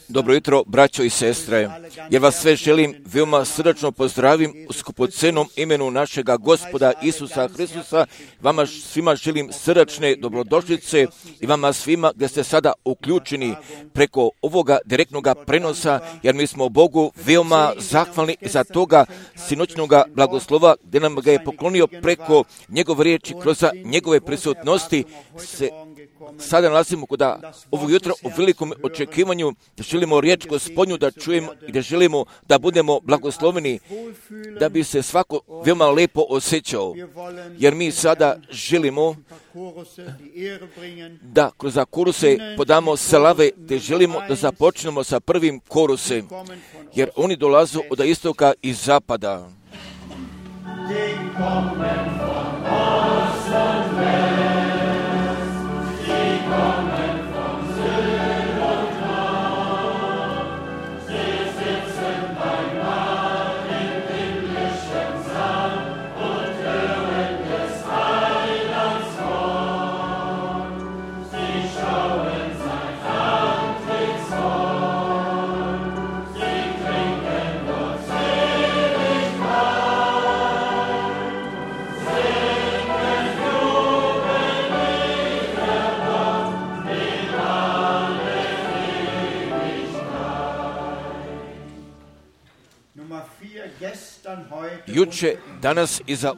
Dobro jutro, braćo i sestre. Ja vas sve želim veoma srdačno pozdravim u skupocenom imenu našega Gospoda Isusa Hristusa. Vama svima želim srdačne dobrodošlice i vama svima gdje ste sada uključeni preko ovoga direktnog prenosa, jer mi smo Bogu veoma zahvalni za toga sinoćnoga blagoslova gdje nam ga je poklonio preko njegove riječi, kroz njegove prisutnosti. Sada nalazimo kod ovog jutra u velikom očekivanju, da želimo riječ Gospodnju da čujemo i da želimo da budemo blagosloveni, da bi se svako veoma lepo osjećao. Jer mi sada želimo da kroz koruse podamo slave, te želimo da započnemo sa prvim korusem, jer oni dolaze od istoka i zapada. Juče, danas i za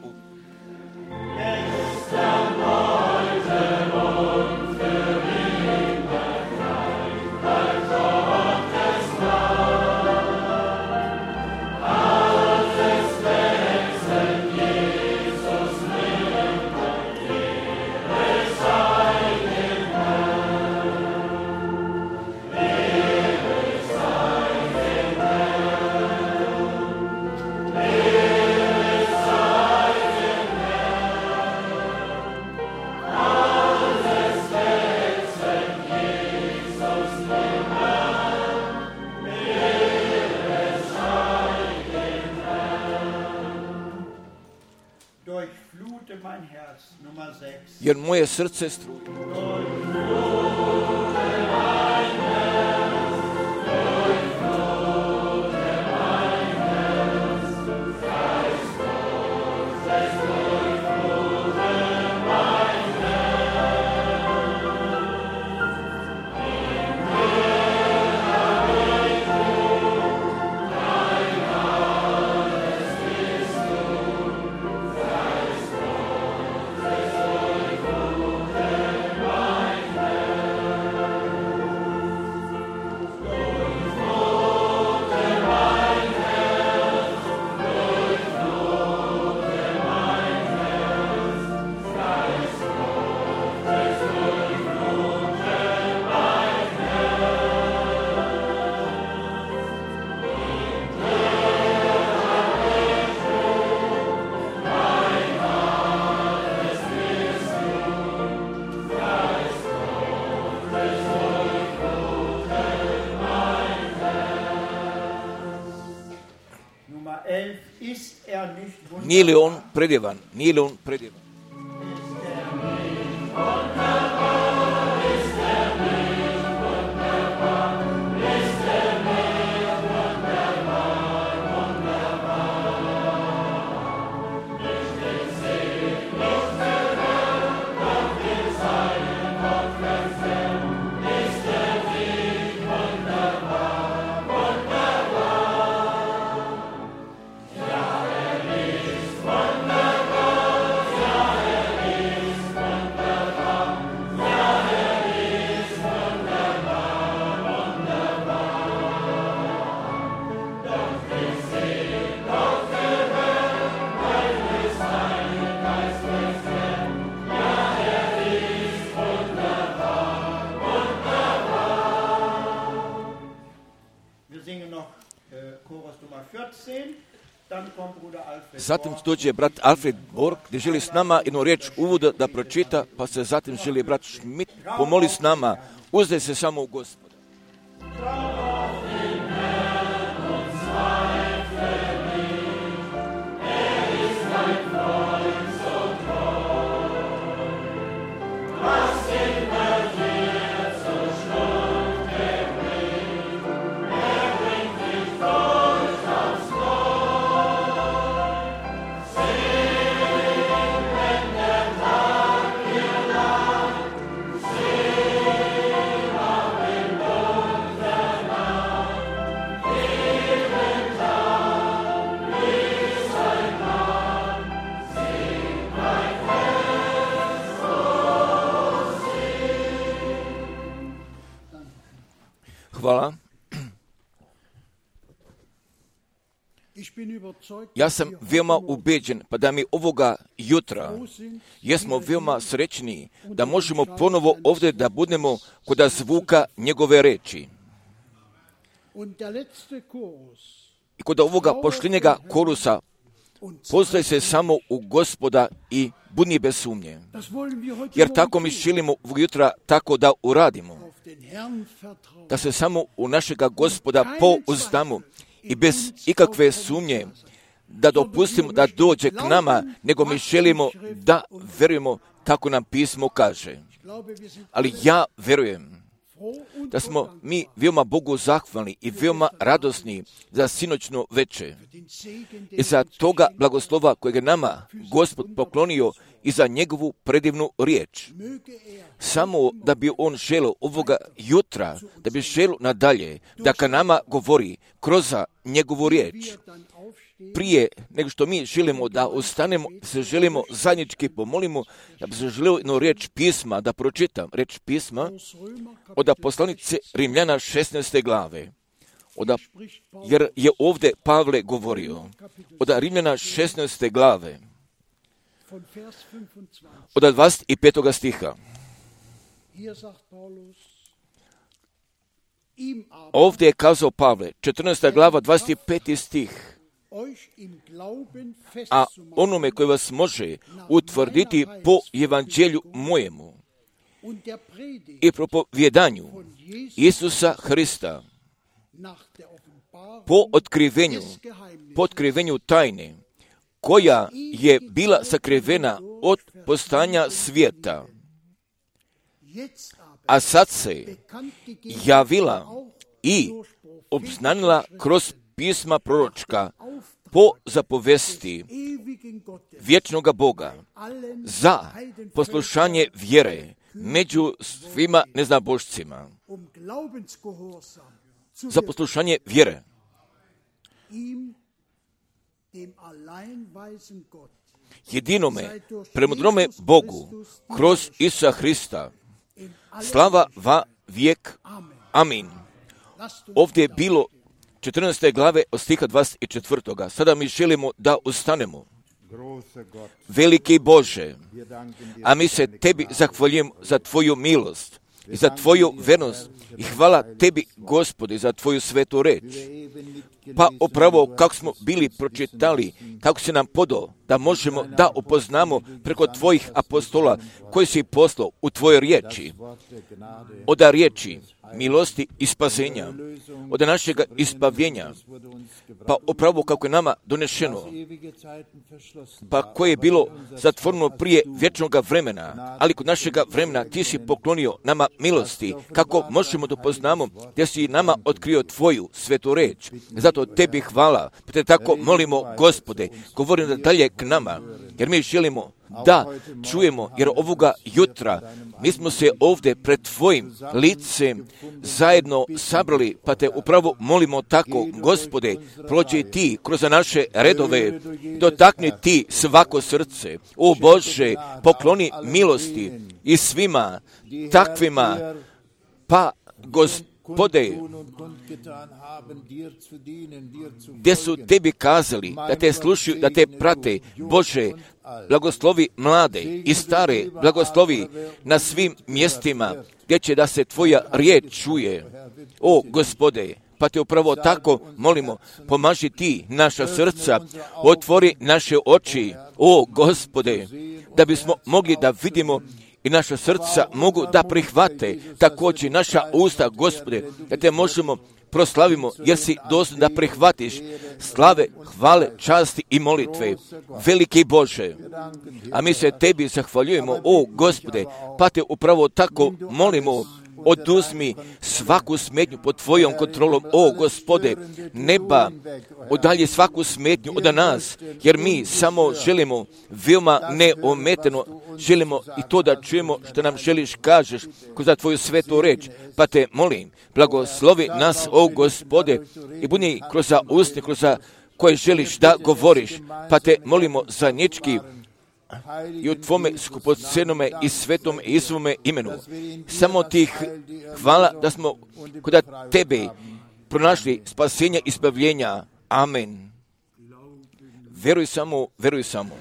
jer moje srce struje. Nije li on predjevan? Nije li on predjevan? Zatim dođe brat Alfred Borg, gdje želi s nama jednu riječ uvoda da pročita, pa se zatim želi brat Schmidt pomoli s nama. Uzdaj se samo u Gospoda. Was immer dir zur Schlucht hvala. Ja sam veoma ubeđen, pa da mi ovoga jutra jesmo veoma srećni da možemo ponovo ovdje da budemo kod zvuka njegove reči. I kod ovoga poštenjega korusa poznaje se samo u Gospoda i budni bez sumnje. Jer tako mi želimo jutra tako da uradimo. Da se samo u našega Gospoda pouzdamo i bez ikakve sumnje da dopustimo da dođe k nama, nego mi želimo da verujemo kako nam pismo kaže. Ali ja verujem da smo mi veoma Bogu zahvalni i veoma radosni za sinoćno veče i za toga blagoslova kojeg je nama Gospod poklonio i za njegovu predivnu riječ. Samo da bi on želio ovoga jutra, da bi želio nadalje, da ka nama govori kroz njegovu riječ. Prije nego što mi želimo da ostanemo, se želimo zajednički pomolimo, ja bi se želio jednu riječ pisma da pročitam. Riječ pisma od poslanice Rimljana 16. glave. Jer je ovdje Pavle govorio od Rimljana 16. glave od 25. stiha. Ovdje je kazao Pavle, 14. glava, 25. stih. A onome koji vas može utvrditi po evanđelju mojemu i propovjedanju Isusa Hrista po otkrivenju tajne koja je bila sakrivena od postojanja svijeta, a sad se javila i obznanila kroz pisma proročka po zapovesti vječnoga Boga za poslušanje vjere među svima neznabošcima. Za poslušanje vjere. Jedinome, premudrome Bogu, kroz Isusa Hrista, slava va vijek. Amin. Ovdje je bilo 14. glave od stiha 24. Sada mi želimo da ustanemo. Veliki Bože, a mi se tebi zahvaljujemo za tvoju milost i za tvoju vernost i hvala tebi, Gospode, za tvoju svetu reč. Pa upravo kako smo bili pročitali, kako si nam podao da možemo da upoznamo preko tvojih apostola koji si poslao u tvojoj riječi, od riječi milosti i spasenja, od našeg ispavljenja, pa upravo kako je nama donešeno, pa koje je bilo zatvoreno prije vječnog vremena, ali kod našega vremena ti si poklonio nama milosti, kako možemo da poznamo da si nama otkrio tvoju svetu reč. Zato tebi hvala, pa te tako molimo, Gospode, govorim da dalje k nama, jer mi želimo da čujemo, jer ovoga jutra mi smo se ovdje pred tvojim licem zajedno sabrali, pa te upravo molimo tako, Gospode, prođi ti kroz naše redove, dotakni ti svako srce. O Bože, pokloni milosti i svima takvima, pa Gospode, gdje su tebi kazali da te slušaju, da te prate, Bože, blagoslovi mlade i stare, blagoslovi na svim mjestima gdje će da se tvoja riječ čuje. O Gospode, pa te upravo tako molimo, pomaži ti naša srca, otvori naše oči, o Gospode, da bismo mogli da vidimo i naša srca mogu da prihvate također naša usta, Gospode, da te možemo proslavimo, jer si dostojan da prihvatiš slave, hvale, časti i molitve. Veliki Bože, a mi se tebi zahvaljujemo, o Gospode, pa te upravo tako molimo, oduzmi svaku smetnju pod tvojom kontrolom, o Gospode, neba, udalji svaku smetnju od nas, jer mi samo želimo veoma neometeno, želimo i to da čujemo što nam želiš kažeš kroz tvoju svetu reč, pa te molim, blagoslovi nas, o Gospode, i budi kroz usta, kroz koje želiš da govoriš, pa te molimo zajednički i u Tvome skupocenome i svetome Isuvome imenu. Samo Ti hvala da smo kod Tebe pronašli spasenje i spavljenja. Amen. Veruj samo, veruj samo.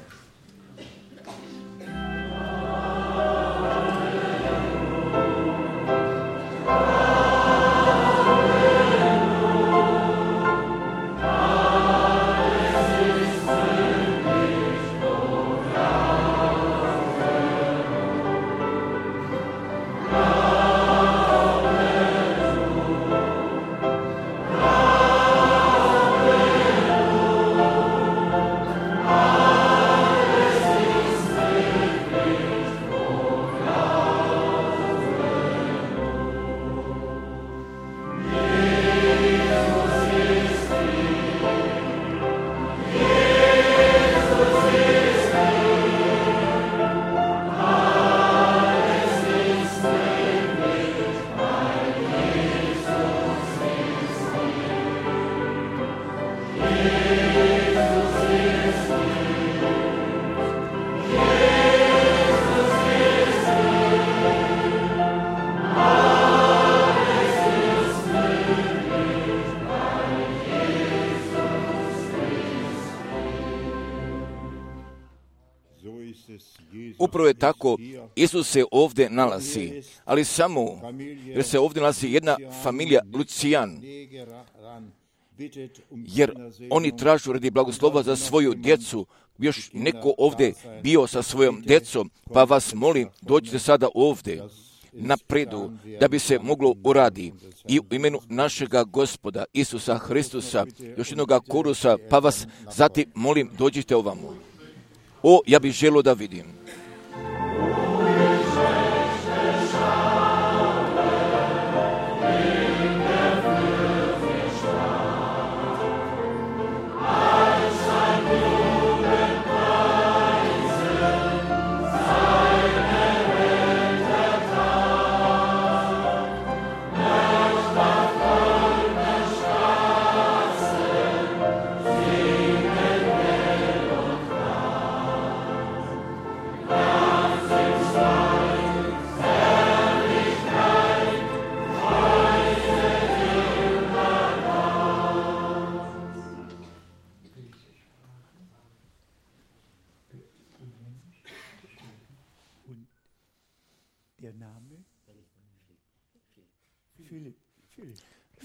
Upravo je tako, Isus se ovdje nalazi, ali samo jer se ovdje nalazi jedna familija Lucijan, jer oni tražu radi blagoslova za svoju djecu. Još neko ovdje bio sa svojom djecom, pa vas molim, dođite sada ovdje napredu da bi se moglo uradi i u imenu našega Gospoda Isusa Hristusa, još jednoga korusa, pa vas zatim molim, dođite ovamo. O, ja bih želio da vidim.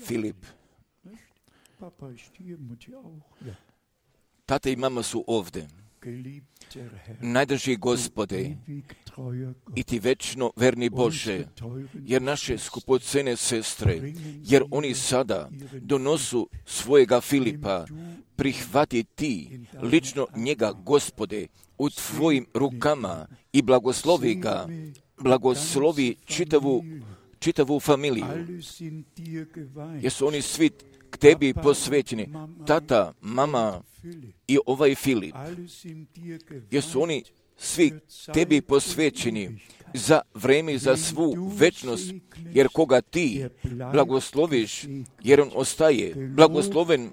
Filip. Tata i mama su ovdje. Najdrži Gospode i Ti večno verni Bože, jer naše skupocene sestre, jer oni sada donosu svojega Filipa, prihvati Ti lično njega, Gospode, u Tvojim rukama i blagoslovi ga, blagoslovi čitavu familiju, jer su oni svi k Tebi posvećeni, tata, mama i ovaj Filip, jer su oni svi Tebi posvećeni za vreme i za svu večnost, jer koga Ti blagosloviš, jer on ostaje blagosloven,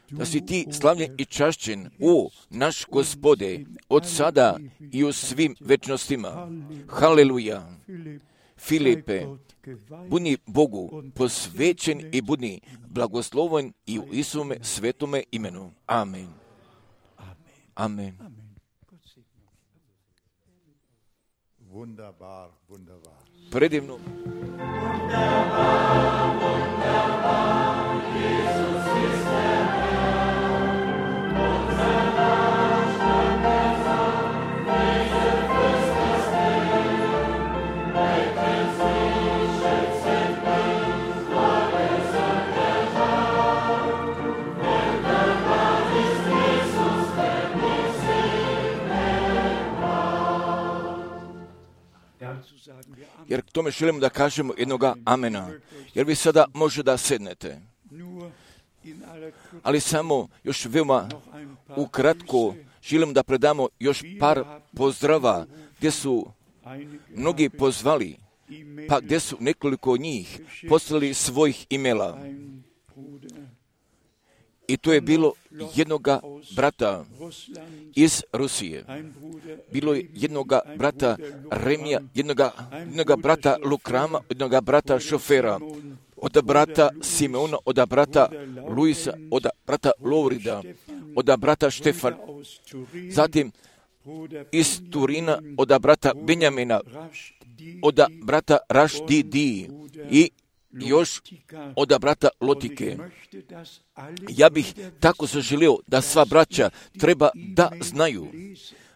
da si Ti slavljen i čašćen, o naš Gospode, od sada i u svim večnostima. Haleluja. Filipe, budi Bogu posvećen i budi blagosloven i u Isuvome svetome imenu. Amen. Amen. Predivno. Jer k tome želimo da kažemo jednoga amena. Jer vi sada može da sednete. Ali samo još veoma ukratko želim da predamo još par pozdrava gdje su mnogi pozvali, pa gdje su nekoliko njih poslali svojih imela. I to je bilo jednoga brata iz Rusije. Bilo je jednoga brata Remija, jednoga brata Lukrama, jednoga brata šofera, od brata Simeona, od brata Luisa, od brata Lovrida, od brata Štefana, zatim iz Turina, od brata Benjamina, od brata Rašdidi i još od brata Lotike. Ja bih tako zaželio da sva braća treba da znaju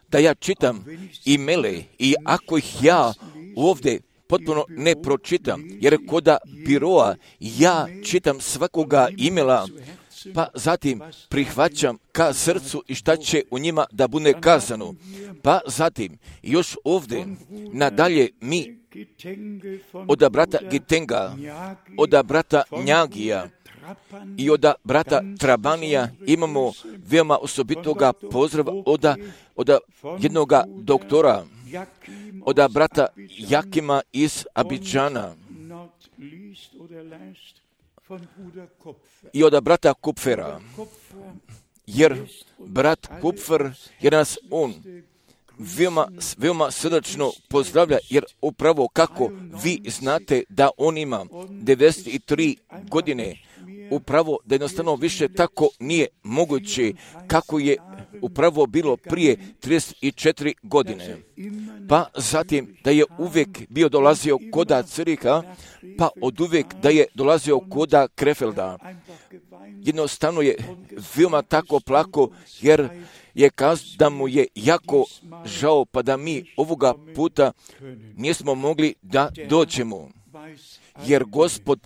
da ja čitam imele i ako ih ja ovdje potpuno ne pročitam, jer kod biroa ja čitam svakoga imela, pa zatim prihvaćam ka srcu i šta će u njima da bude kazano. Pa zatim još ovdje nadalje mi od brata Gitenga, od brata Njagija i od brata Trabanija imamo veoma osobitoga pozdrava od jednog doktora, od brata Jakima iz Abidžana i od brata Kupfera, jer brat Kupfer je nas on veoma srdačno pozdravlja, jer upravo kako vi znate da on ima 93 godine, upravo da jednostavno više tako nije moguće kako je upravo bilo prije 34 godine. Pa zatim da je uvijek bio dolazio koda Ciriha, pa od uvijek da je dolazio koda Krefelda. Jednostavno je veoma tako plako, jer je kazao da mu je jako žao, pa da mi ovoga puta nismo mogli da dođemo. Jer Gospod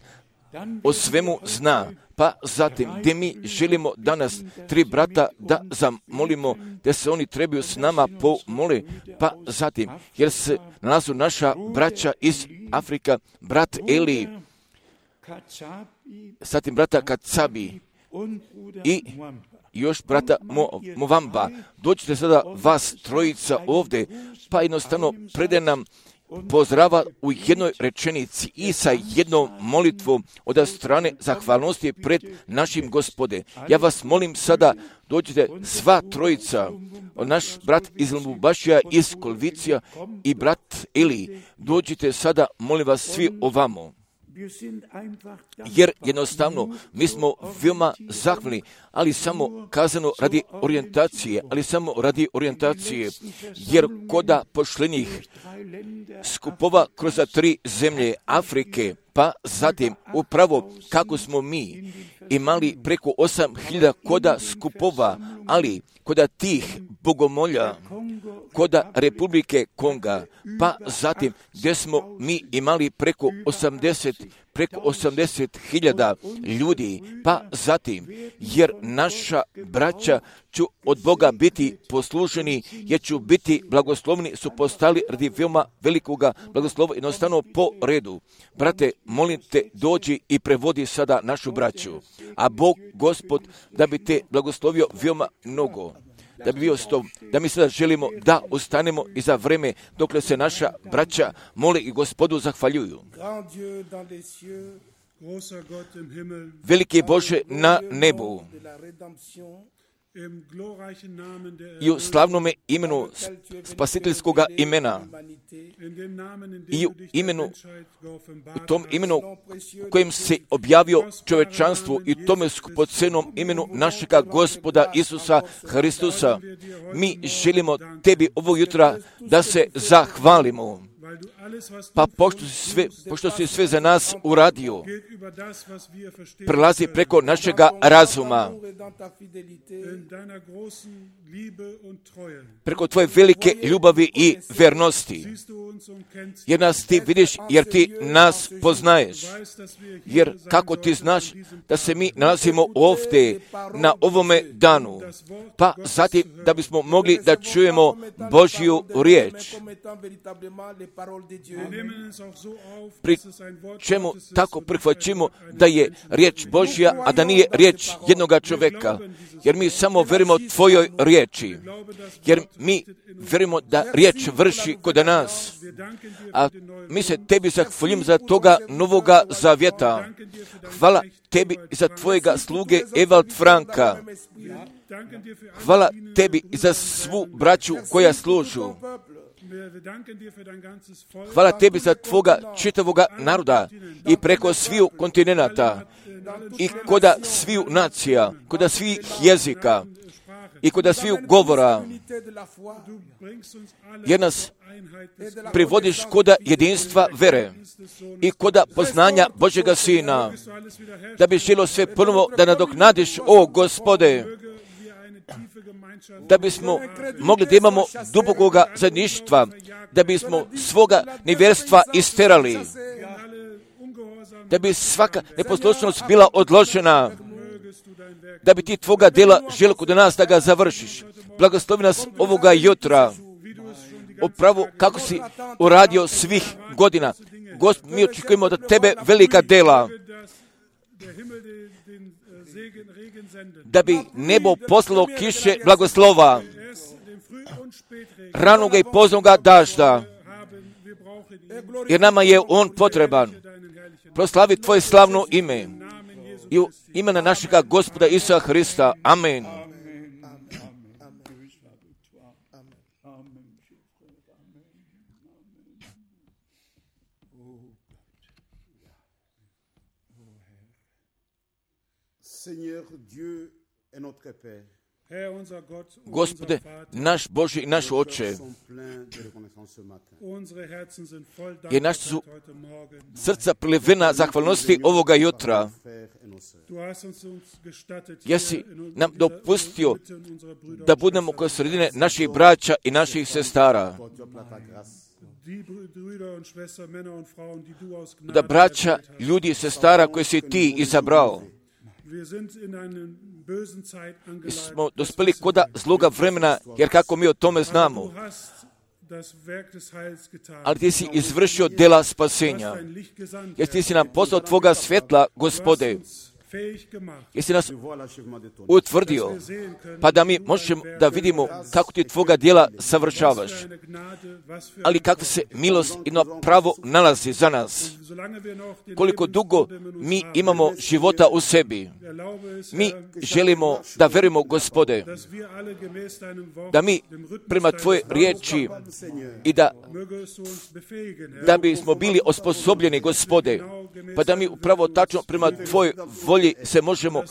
o svemu zna. Pa zatim, gdje mi želimo danas 3 brata da zamolimo, da se oni trebaju s nama pomoli, pa zatim, jer se nalazu naša braća iz Afrika, brat Eli, zatim brata Kacabi i još brata Movamba. Dođite sada vas trojica ovdje, pa jednostavno prede nam pozdrava u jednoj rečenici i sa jednom molitvom od strane zahvalnosti pred našim Gospode. Ja vas molim sada, dođite sva trojica, naš brat iz Lubumbašija, iz Kolvicija i brat Eli. Dođite sada, molim vas svi ovamo. Jer jednostavno mi smo veoma zahvalni, ali samo kazano radi orijentacije, jer koda pošlenih skupova kroz 3 zemlje Afrike, pa zatim upravo kako smo mi imali preko 8.000 koda skupova, ali koda tih bogomolja, koda Republike Konga, pa zatim gdje smo mi imali preko 80.000 ljudi, pa zatim, jer naša braća ću od Boga biti posluženi, jer ću biti blagoslovni, su postali radi veoma velikoga blagoslova, jednostavno po redu. Brate, molim te, dođi i prevodi sada našu braću, a Bog, Gospod, da bi te blagoslovio veoma mnogo. Da bi bio s tom, da mi sada želimo da ostanemo i za vreme dokle se naša braća mole i Gospodu zahvaljuju. Veliki Bože na nebu, i u slavnome imenu spasiteljskoga imena, i u tom imenu kojem se objavio čovečanstvu i tome skupocenom imenu našega Gospoda Isusa Hristusa, mi želimo tebi ovog jutra da se zahvalimo. Pa pošto si sve za nas uradio, prelazi preko našega razuma, preko tvoje velike ljubavi i vernosti, jer nas ti vidiš, jer ti nas poznaješ, jer kako ti znaš da se mi nalazimo ovdje na ovome danu, pa zatim da bismo mogli da čujemo Božju riječ. pri čemu tako prihvaćimo da je riječ Božja, a da nije riječ jednoga čovjeka. Jer mi samo verujemo tvojoj riječi. Jer mi verujemo da riječ vrši kod nas. A mi se tebi zahvaljujemo za toga novoga zavjeta. Hvala tebi za tvojega sluge Evald Franka. Hvala tebi za svu braću koja služu. Hvala tebi za tvoga čitavoga naroda i preko sviju kontinenata i koda sviju nacija, koda svih jezika i koda sviju govora, jer nas privodiš koda jedinstva vere i koda poznanja Božjega Sina, da bi želo sve ponovo da nadoknadiš, o Gospode, da bismo mogli da imamo dubokoga zajedništva, da bismo svoga nevjerstva isterali, da bi svaka neposlušnost bila odložena, da bi ti tvoga djela želo kod nas da ga završiš. Blagoslovi nas ovoga jutra, upravo kako si uradio svih godina. Gospod, mi očekujemo da tebe velika djela, da bi nebo poslalo kiše blagoslova, ranoga i poznoga dažda, jer nama je on potreban. Proslavi tvoje slavno ime i u imena našega Gospoda Isusa Hrista. Amen. Gospode, naš Bože i naš Oče, jer naš su srca prilivena zahvalnosti ovoga jutra. Jesi nam dopustio da budemo kod sredine naših braća i naših sestara, da braća, ljudi i sestara koje si ti izabrao. Mi smo dospeli koda zloga vremena, jer kako mi o tome znamo, ali ti si izvršio djela spasenja, jer ti si nam poslao tvoga svjetla, Gospode, jer si nas utvrdio, pa da mi možemo da vidimo kako ti tvoga djela savršavaš, ali kakva se milost i pravo nalazi za nas. Koliko dugo mi imamo života u sebi, mi želimo da verujemo, Gospode, da mi prema tvoje riječi i da bismo bili osposobljeni, Gospode, pa da mi upravo tačno prema tvojoj volji se možemo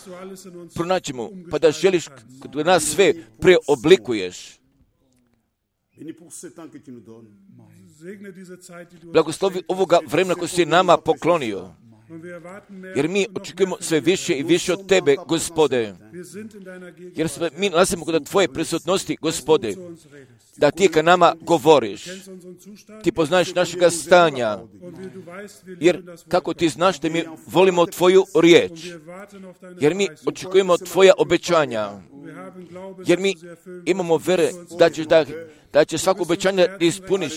pronaćemo, pa da želiš da nas sve preoblikuješ. Blagoslovi ovoga vremena koje si nama poklonio, jer mi očekujemo sve više i više od tebe, Gospode, jer mi nalazimo kod tvoje prisutnosti, Gospode, da ti ka nama govoriš. Ti poznaješ našega stanja, jer kako ti znaš da mi volimo tvoju riječ, jer mi očekujemo tvoja obećanja, jer mi imamo vere da će svako obećanje da ispuniš,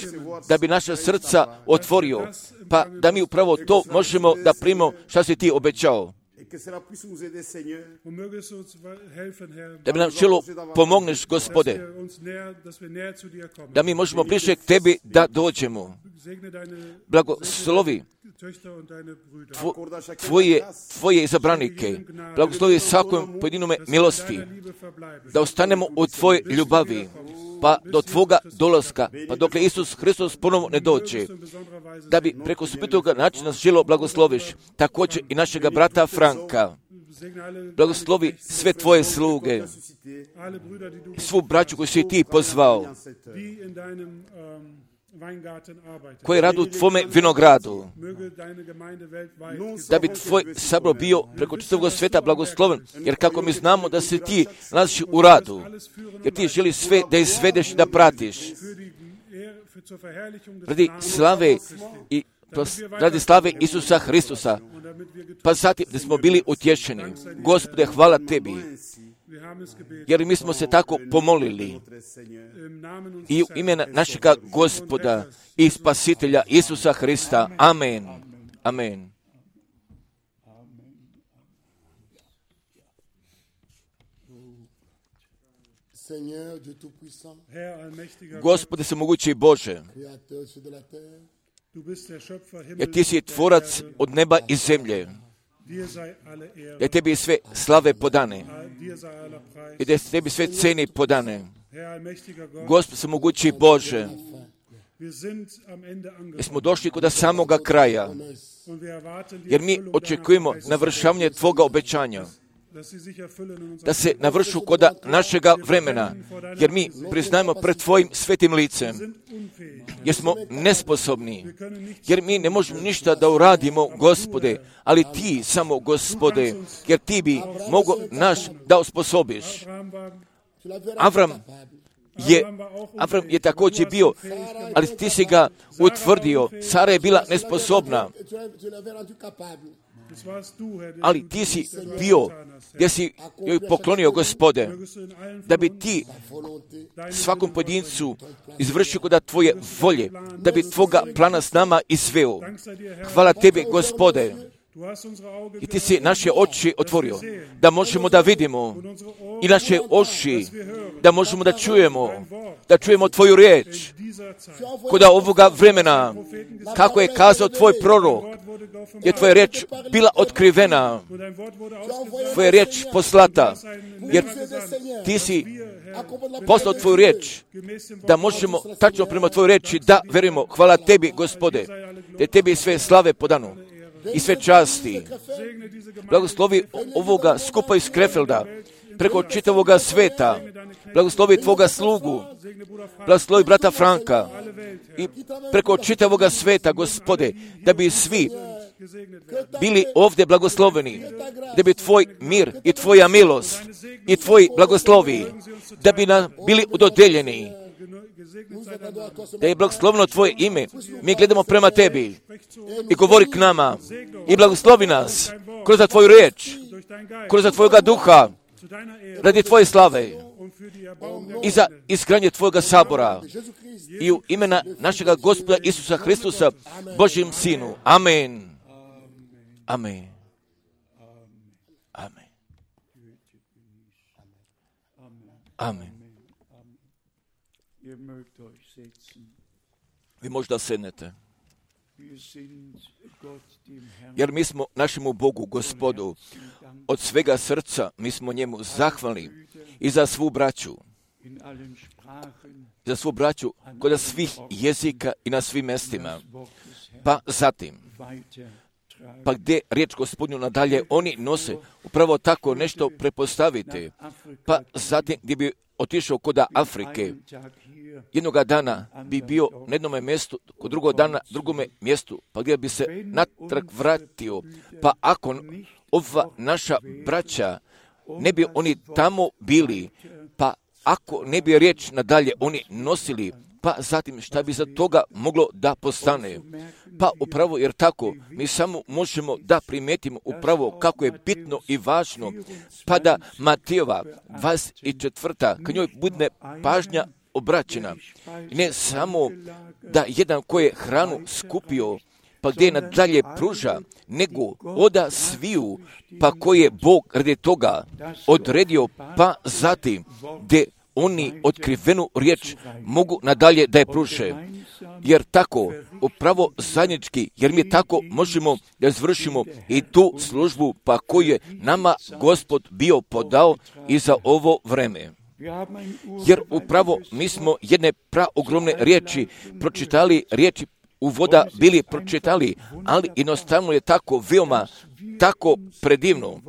da bi naša srca otvorio, pa da mi upravo to možemo da primimo šta si ti obećao. Da bi nam čelo pomogneš, Gospode, da mi možemo bliže k tebi da dođemo. Blagoslovi tvoje izabranike, blagoslovi svakom pojedinome milosti, da ostanemo u tvojoj ljubavi, pa do tvoga dolaska, pa dokle Isus Hristos ponovo ne dođe, da bi preko osobitoga načina želo blagosloviš, također i našega brata Franka. Blagoslovi sve tvoje sluge, svu braću koju si ti pozvao, koji radu u tvome vinogradu, da bi tvoj sabor bio preko čitavog sveta blagosloven, jer kako mi znamo da se ti nalaziš u radu, jer ti želiš sve da izvedeš i da pratiš radi slave Isusa Hristusa, pa zatim da smo bili utješeni. Gospode, hvala tebi, jer mi smo se tako pomolili i u imena našega Gospoda i Spasitelja Isusa Hrista. Amen. Amen. Gospode svemogući Bože, jer ti si tvorac od neba i zemlje, jer tebi je sve slave podane, i da tebi sve ceni podane. Gospode svemogući Bože, jer smo došli kod samoga kraja, jer mi očekujemo navršavanje Tvoga obećanja, da se navršu kod našega vremena, jer mi priznajemo pred Tvojim svetim licem, jer smo nesposobni, jer mi ne možemo ništa da uradimo, Gospode, ali Ti samo, Gospode, jer Ti bi mogo naš da osposobiš. Avram je također bio, ali Ti si ga utvrdio. Sara je bila nesposobna, ali Ti si bio, gdje si joj poklonio, Gospode, da bi Ti svakom pojedincu izvršio kod Tvoje volje, da bi Tvoga plana s nama izveo. Hvala Tebi, Gospode, i Ti si naše oči otvorio, da možemo da vidimo, i naše uši, da možemo da čujemo Tvoju riječ. Kod ovoga vremena, kako je kazao Tvoj prorok, je Tvoja riječ bila otkrivena, Tvoja riječ poslata, jer Ti si poslao Tvoju riječ, da možemo tačno prema Tvojoj riječi da verujemo. Hvala Tebi, Gospode, da Tebi sve slave podano i sve časti. Blagoslovi ovoga skupa iz Krefelda, preko čitavoga sveta. Blagoslovi Tvoga slugu, blagoslovi brata Franka i preko čitavoga sveta, Gospode, da bi svi bili ovdje blagosloveni, da bi Tvoj mir i Tvoja milost i Tvoji blagoslovi, da bi nam bili udodeljeni, da je blagoslovno Tvoje ime. Mi gledamo prema Tebi i govori k nama i blagoslovi nas kroz Tvoju riječ, kroz Tvoga duha, radi Tvoje slave i za izgradnje Tvojega sabora i u imena našega Gospoda Isusa Hristusa, Božjem Sinu. Amen. Amen. Amen. Amen. Vi možda sednete, jer mi smo našemu Bogu, Gospodu, od svega srca mi smo njemu zahvalni i za svu braću kod svih jezika i na svim mjestima. Pa zatim, pa gdje riječ Gospodnju nadalje oni nose, upravo tako nešto prepostavite. Pa zatim gdje bi otišao kod Afrike, jednoga dana bi bio na jednome mjestu, kod drugog dana drugome mjestu, pa gdje bi se natrag vratio. Pa ako ova naša braća ne bi oni tamo bili, pa ako ne bi riječ nadalje oni nosili, pa zatim šta bi za toga moglo da postane? Pa upravo jer tako mi samo možemo da primetimo upravo kako je bitno i važno, pa da Matijeva 24. kad njoj bude pažnja obraćena. Ne samo da jedan koji je hranu skupio, pa gdje je nadalje pruža, nego oda sviju, pa koji je Bog radi toga odredio, pa zatim gdje oni otkrivenu riječ mogu nadalje da je pruže. Jer tako, upravo zajednički, jer mi tako možemo da izvršimo i tu službu pa koju je nama Gospod bio podao i za ovo vreme. Jer upravo mi smo jedne ogromne riječi pročitali, riječi uvoda bili pročitali, ali jednostavno je tako veoma, tako predivno,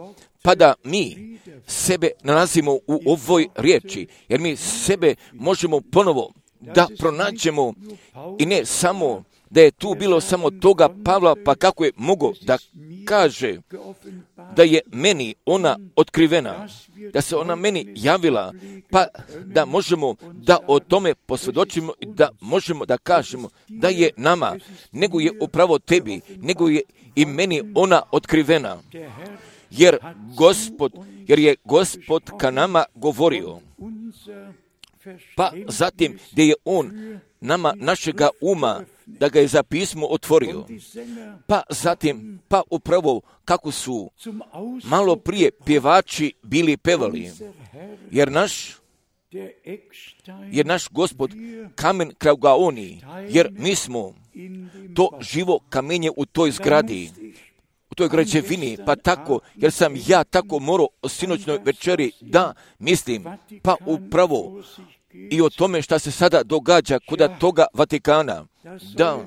pa da mi sebe nalazimo u ovoj riječi, jer mi sebe možemo ponovo da pronađemo i ne samo da je tu bilo samo toga Pavla, pa kako je mogo da kaže da je meni ona otkrivena, da se ona meni javila, pa da možemo da o tome posvjedočimo i da možemo da kažemo da je nama, nego je upravo tebi, nego je i meni ona otkrivena. Jer Gospod jer je Gospod ka nama govorio. Pa zatim gdje je on nama našega uma, da ga je za pismo otvorio. Pa zatim, pa upravo kako su malo prije pjevači bili pevali, jer naš Gospod kamen kraugaoni, jer mi smo to živo kamenje u toj zgradi, u toj građevini, pa tako, jer sam ja tako morao o sinoćnoj večeri da mislim, pa upravo i o tome šta se sada događa kod toga Vatikana, da,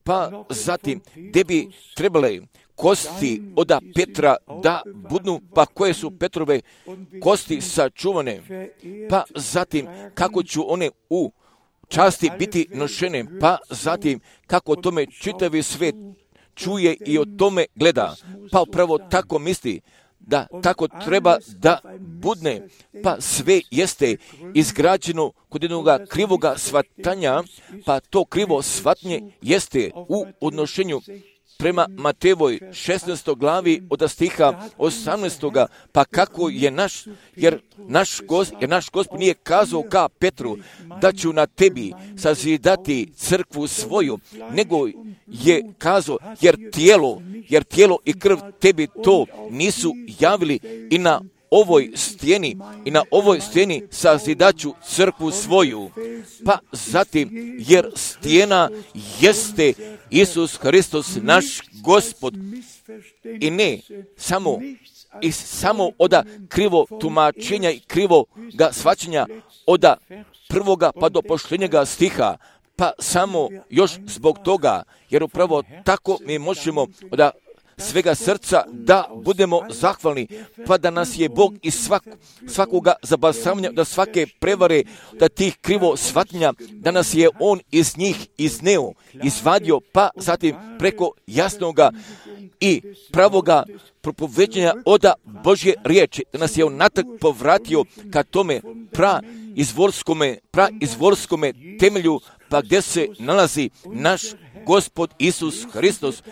pa zatim, gdje bi trebale kosti od Petra da budu, pa koje su Petrove kosti sačuvane, pa zatim kako ću one u časti biti nošene, pa zatim kako o tome čitavi svijet čuje i o tome gleda, pa upravo tako misli da tako treba da budne, pa sve jeste izgrađeno kod jednog krivoga shvatanja, pa to krivo shvatnje jeste u odnošenju prema Matejevoj 16. glavi od stiha 18. pa kako je jer naš Gospod nije kazao ka Petru da ću na tebi sazidati crkvu svoju, nego je kazao jer tijelo i krv tebi to nisu javili i na ovoj stijeni sazidaću crkvu svoju. Pa zatim, jer stijena jeste Isus Hristos naš Gospod i ne samo od krivo tumačenja i krivo ga shvaćanja od prvoga pa do posljednjega stiha, pa samo još zbog toga, jer upravo tako mi možemo od svega srca da budemo zahvalni, pa da nas je Bog iz svakoga zabasavanja, da svake prevare, da tih krivo shvatnja, da nas je On iz njih izneo, izvadio, pa zatim preko jasnoga i pravoga propoveđenja od Božje riječi, da nas je On natrag povratio ka tome praizvorskome temelju, pa gdje se nalazi naš Gospod Isus Hristos.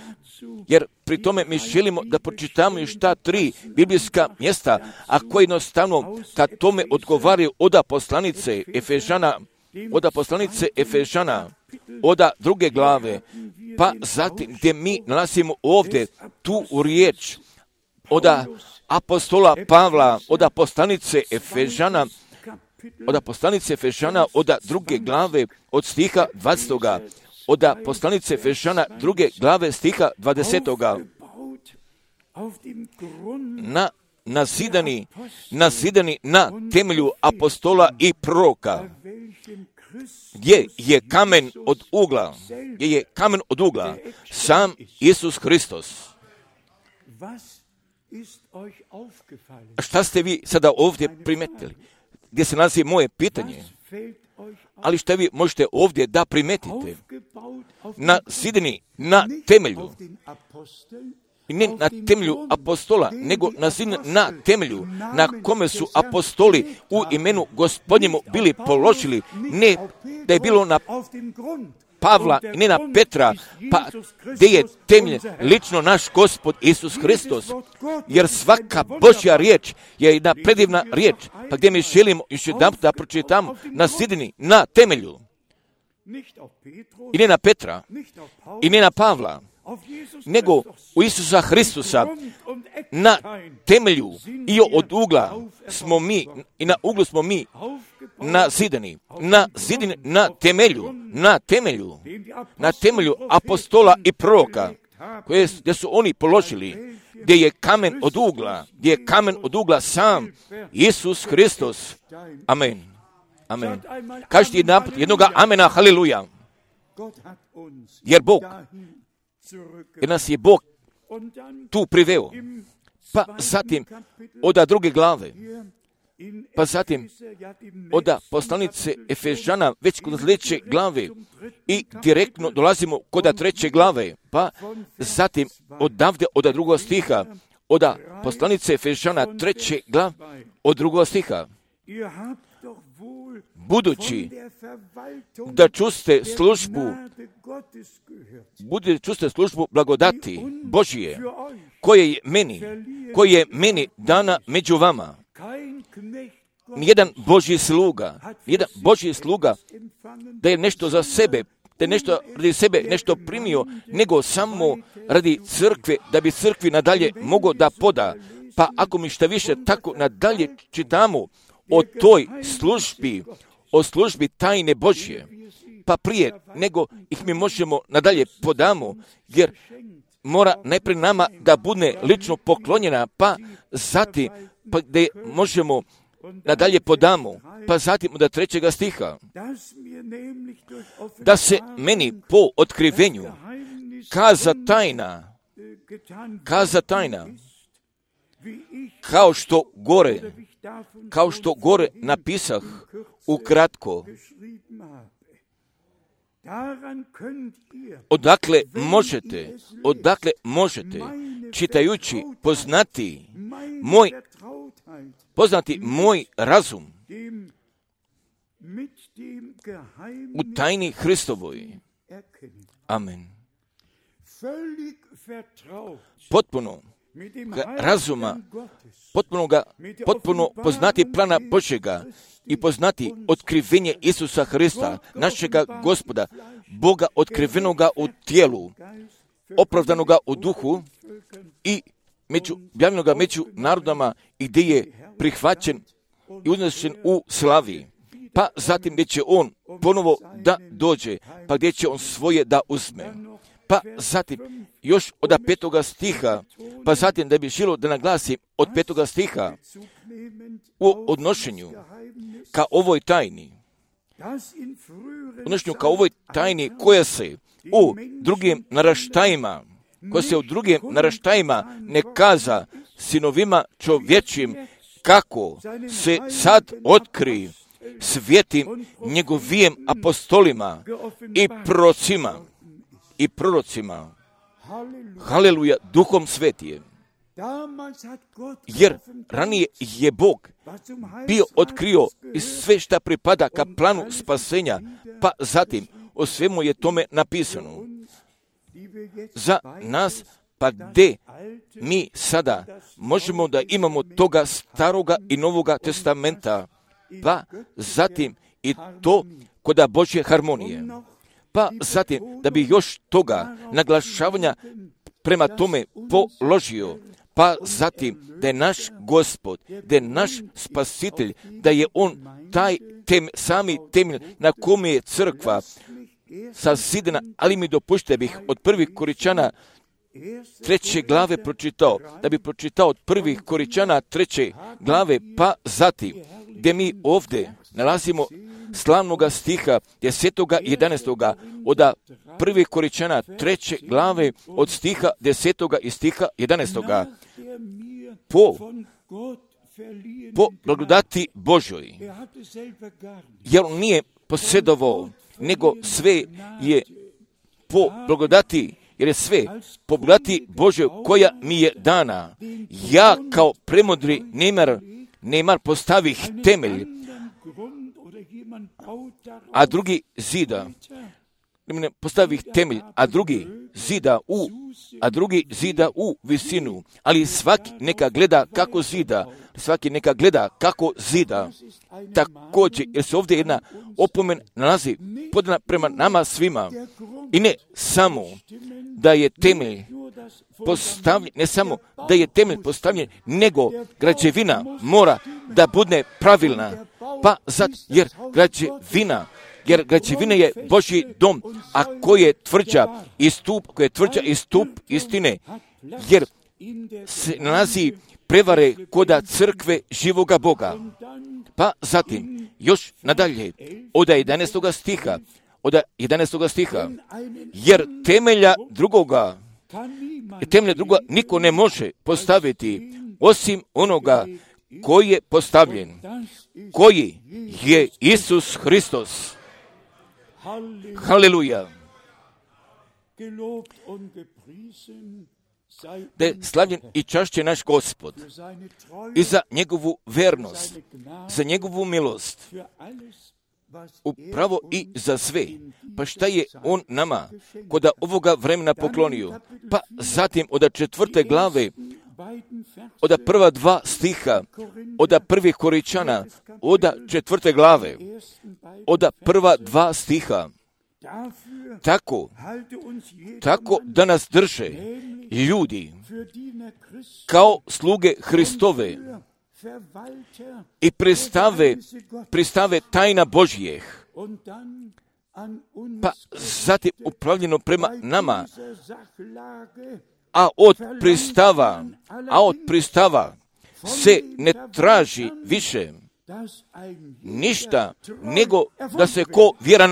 Jer pri tome mi želimo da pročitamo još ta 3 biblijska mjesta, a koje jednostavno kad tome odgovaraju od poslanice Efežana, od 2. glave, pa zatim gdje mi nalazimo ovdje tu riječ od apostola Pavla, od poslanice Efežana, od 2. glave od stiha 20. Od poslanice Efežana 2. glave stiha 20. Nazidani na temelju apostola i proroka, gdje je kamen od ugla, sam Isus Hristos. Šta ste vi sada ovdje primetili? Gdje se nalazi moje pitanje? Ali šta vi možete ovdje da primetite? Nazidani na temelju, i ne na temelju apostola, nego na temelju na kome su apostoli u imenu Gospodnjemu bili položili, ne da je bilo na Pavla i ne na Petra, pa gdje je temelj lično naš Gospod Isus Hristos, jer svaka Božja riječ je jedna predivna riječ, pa gdje mi želimo još jedan da pročitamo nazidani na temelju, i ne na Petra, i ne na Pavla, nego u Isusa Hristusa, na temelju i od ugla smo mi, i na uglu smo mi nazidani na temelju apostola i proroka, gdje su oni položili, gdje je kamen od ugla sam Isus Hristos. Amen. Amen. Kažite jednoga amena, haleluja. Jer nas je Bog tu priveo. Pa zatim od 2. glave, pa zatim od poslanice Efežana već kod 3. glave i direktno dolazimo kod 3. glave, pa zatim odavde od 2. stiha, od poslanice Efežana 3. glave od 2. stiha. budući da čuste službu blagodati Božije, koje je meni dana među vama. Nijedan Božji sluga da je nešto za sebe, da je nešto radi sebe nešto primio, nego samo radi crkve, da bi crkvi nadalje mogao da poda. Pa ako mi šta više tako nadalje čitamo o toj službi, o službi tajne Božje, pa prije nego ih mi možemo nadalje podamo, jer mora najprije nama da bude lično poklonjena, pa zatim gdje možemo nadalje podamo, pa zatim od 3. stiha, da se meni po otkrivenju kaza tajna, kao što gore napisah ukratko. Odakle možete, čitajući, poznati moj razum u tajni Hristovoj. Amen. Potpuno razuma, potpuno poznati plana Božjega i poznati otkrivenje Isusa Hrista, našega Gospoda, Boga otkrivenoga u tijelu, opravdanoga u duhu i objavljenoga među narodama i gdje je prihvaćen i uznešen u slavi. Pa zatim gdje će on ponovo da dođe, pa gdje će on svoje da uzme. Pa zatim još od 5. stiha, pa zatim da bi želio da naglasim od 5. stiha u odnošenju ka ovoj tajni, koja se u drugim naraštajima ne kaza sinovima čovječim, kako se sad otkri svetim njegovim apostolima i prorocima. Haleluja, Duhom Svetijem. Jer ranije je Bog bio otkrio i sve šta pripada ka planu spasenja, pa zatim o svemu je tome napisano. Za nas, pa gdje mi sada možemo da imamo toga staroga i novoga testamenta, pa zatim i to koda Božje harmonije. Pa zatim, da bi još toga naglašavanja prema tome položio, pa zatim da je naš Gospod, da je naš Spasitelj, da je On taj sami temelj na kome je crkva sazidana, ali mi dopušte bih od 1. Koričana 3. glave pročitao, da bi pročitao od 1. Koričana 3. glave, pa zatim, gdje mi ovdje nalazimo slavnoga stiha 10. i 11. od 1. Koričana 3. glave od stiha 10. i stiha 11. Po blagodati Božoj, jer on nije posjedovao, nego sve je po blagodati, jer je sve po blagodati Božoj koja mi je dana. Ja kao premudri nemar postavih temelj, a drugi zida u visinu, ali svaki neka gleda kako zida, također, jer se ovdje jedna opomen nalazi podana prema nama svima, i ne samo da je temelj postavljen, nego građevina mora da bude pravilna, pa jer građevina je Božji dom, a koji je tvrđa i stup istine, jer se nalazi prevare koda crkve živoga Boga. Pa zatim, još nadalje, od 11. stiha, jer temelja drugoga niko ne može postaviti osim onoga koji je postavljen, koji je Isus Hristos. Haleluja. da je slavljen i čašćen naš Gospod i za njegovu vernost, za njegovu milost, upravo i za sve. Pa šta je on nama kod ovoga vremena poklonio? Pa zatim od 4. glave, od prva 2 stiha, od 1. Koričana, od 4. glave, od prva 2 stiha, tako da nas drže ljudi kao sluge Hristove i pristave tajna Božjih, pa zatim upravljeno prema nama, a od pristava se ne traži više ništa nego da se ko vjeran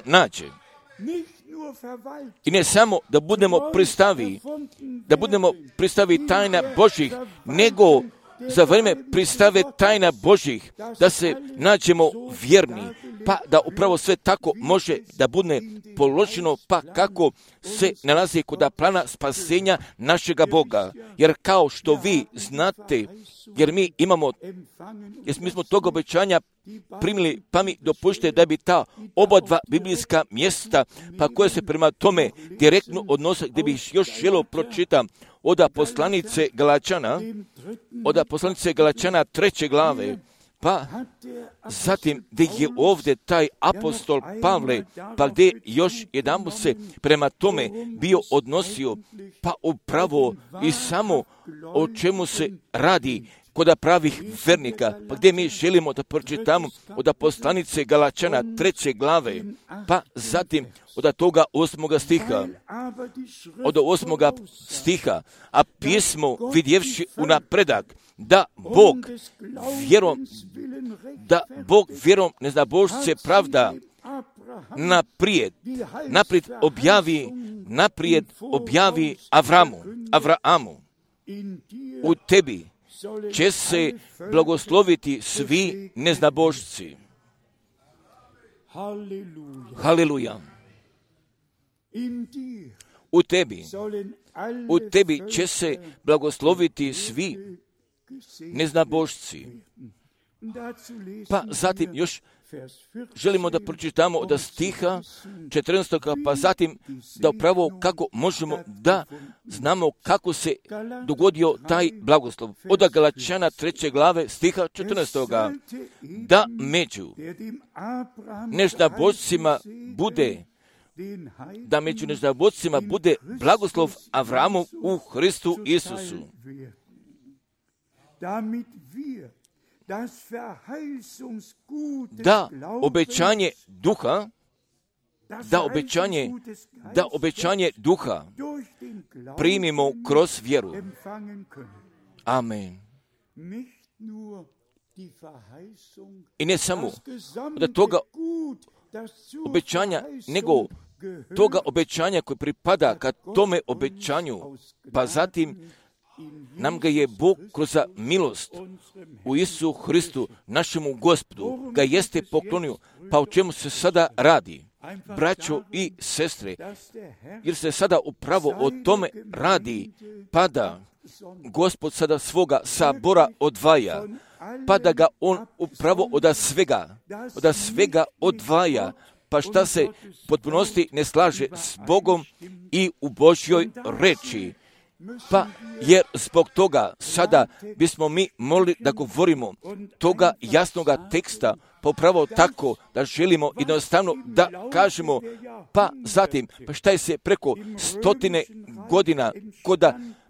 nađe. I ne samo da budemo pristavi tajna Božjih, nego za vrijeme pristave tajna Božjih da se nađemo vjerni, pa da upravo sve tako može da bude položeno, pa kako se nalazi kod plana spasenja našega Boga. Jer kao što vi znate, jer mi smo tog obećanja primili, pa mi dopušte da bi ta oba 2 biblijska mjesta, pa koje se prema tome direktno odnose, gdje bih još želio pročitam od poslanice Galačana 3. glave, pa zatim gdje je ovdje taj apostol Pavle, pa gdje još jedan se prema tome bio odnosio, pa upravo i samo o čemu se radi kod pravih vernika, pa gdje mi želimo da pročitamo od poslanice Galačana 3. glave, pa zatim od toga 8. stiha, a pismo vidjevši unapredak, da Bog vjerom neznabošce pravda naprijed objavi Avraamu. U tebi će se blagosloviti svi neznabošci. Haleluja. U tebi će se blagosloviti svi neznabošci. Pa zatim još želimo da pročitamo od stiha 14. pa zatim da upravo kako možemo da znamo kako se dogodio taj blagoslov. Od Galačana 3. glave stiha 14. Da među neznabošcima bude blagoslov Avramu u Hristu Isusu. Da obećanje duha primimo kroz vjeru. Amen. I ne samo da toga obećanja, nego toga obećanja koje pripada ka tome obećanju, pa zatim nam ga je Bog kroz milost u Isusu Hristu, našemu Gospodu, ga jeste poklonio. Pa o čemu se sada radi, braćo i sestre, jer se sada upravo o tome radi, pa da Gospod sada svoga sabora odvaja, pa da ga on upravo od svega odvaja, pa šta se potpunosti ne slaže s Bogom i u Božjoj reči. Pa jer zbog toga sada bismo mi mogli da govorimo toga jasnoga teksta, pa upravo tako da želimo jednostavno da kažemo, pa zatim, pa šta je se preko 100 godina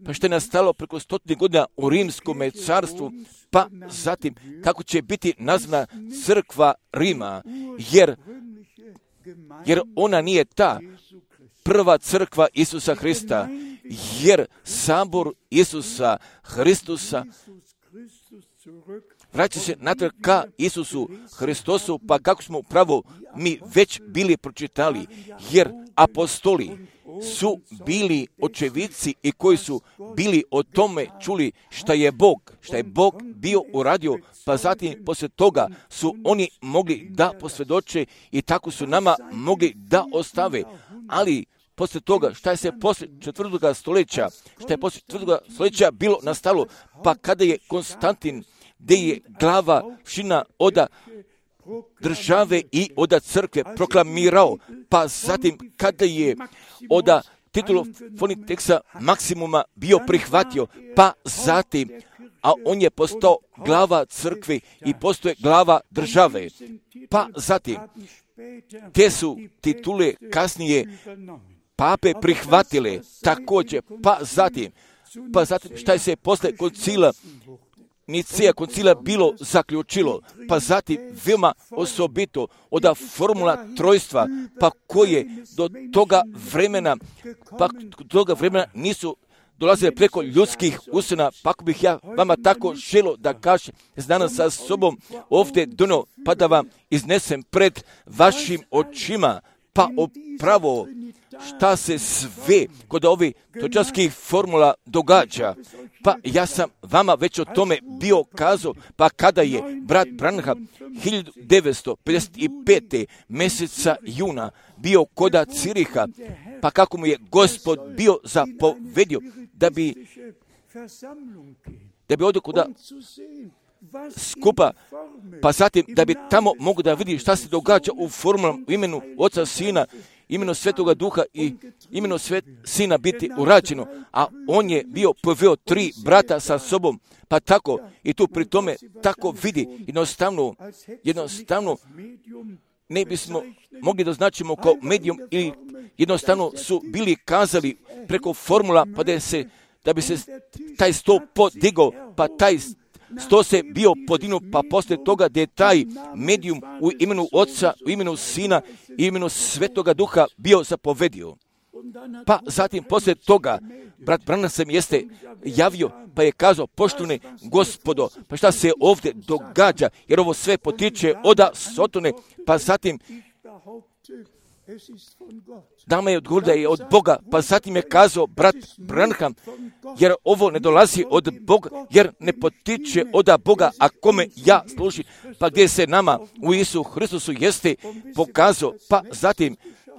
pa šta je nastalo preko 100 godina u Rimskom carstvu, pa zatim kako će biti nazvana crkva Rima, jer ona nije ta prva crkva Isusa Hrista, jer sabor Isusa Hristusa vraća se natrag ka Isusu Hristosu, pa kako smo upravo mi već bili pročitali, jer apostoli su bili očevici i koji su bili o tome čuli šta je Bog bio uradio, pa zatim poslije toga su oni mogli da posvjedoče i tako su nama mogli da ostave. Ali poslije toga, šta je se poslije 4. stoljeća, šta je poslije 4. stoljeća bilo nastalo, pa kada je Konstantin, gdje je glava šina oda države i oda crkve proklamirao, pa zatim kada je oda titulu Fonitexa Maksimuma bio prihvatio, pa zatim, a on je postao glava crkve i postoje glava države, pa zatim, te su titule kasnije pape prihvatile također, pa zatim šta je se posle koncila Nicea koncila bilo zaključilo, pa zatim veoma osobito od formula trojstva, pa koje do toga vremena nisu dolazile preko ljudskih usana, pa ako bih ja vama tako želo da kažem danas sa sobom ovdje donio, pa da vam iznesem pred vašim očima, pa upravo šta se sve kod ovih točarskih formula događa. Pa ja sam vama već o tome bio kazao, pa kada je brat Branham 1955. mjeseca juna bio koda Ciriha, pa kako mu je Gospod bio zapovedio da bi ovdje kuda skupa, pa zatim da bi tamo mogu da vidi šta se događa u formulama u imenu Oca, Sina, imenu Svetoga Duha i imenu Sina biti urađeno, a on je bio poveo 3 brata sa sobom, pa tako i tu pri tome tako vidi, jednostavno ne bismo mogli da značimo kao medijum ili jednostavno su bili kazali preko formula pa da bi se taj sto podigao, pa taj sto se bio podignuo, pa poslije toga da je taj medijum u imenu Oca, u imenu Sina i imenu Svetoga Duha bio zapovedio. Pa zatim poslije toga brat Branham se jeste javio, pa je kazao, poštovani Gospodo, pa šta se ovdje događa, jer ovo sve potiče od Sotone, pa zatim dama je odgovorila da je od Boga, pa zatim je kazao brat Branham, jer ovo ne dolazi od Boga, jer ne potiče od Boga, a kome ja služim, pa gdje se nama u Isu Hristusu jeste pokazao, pa zatim,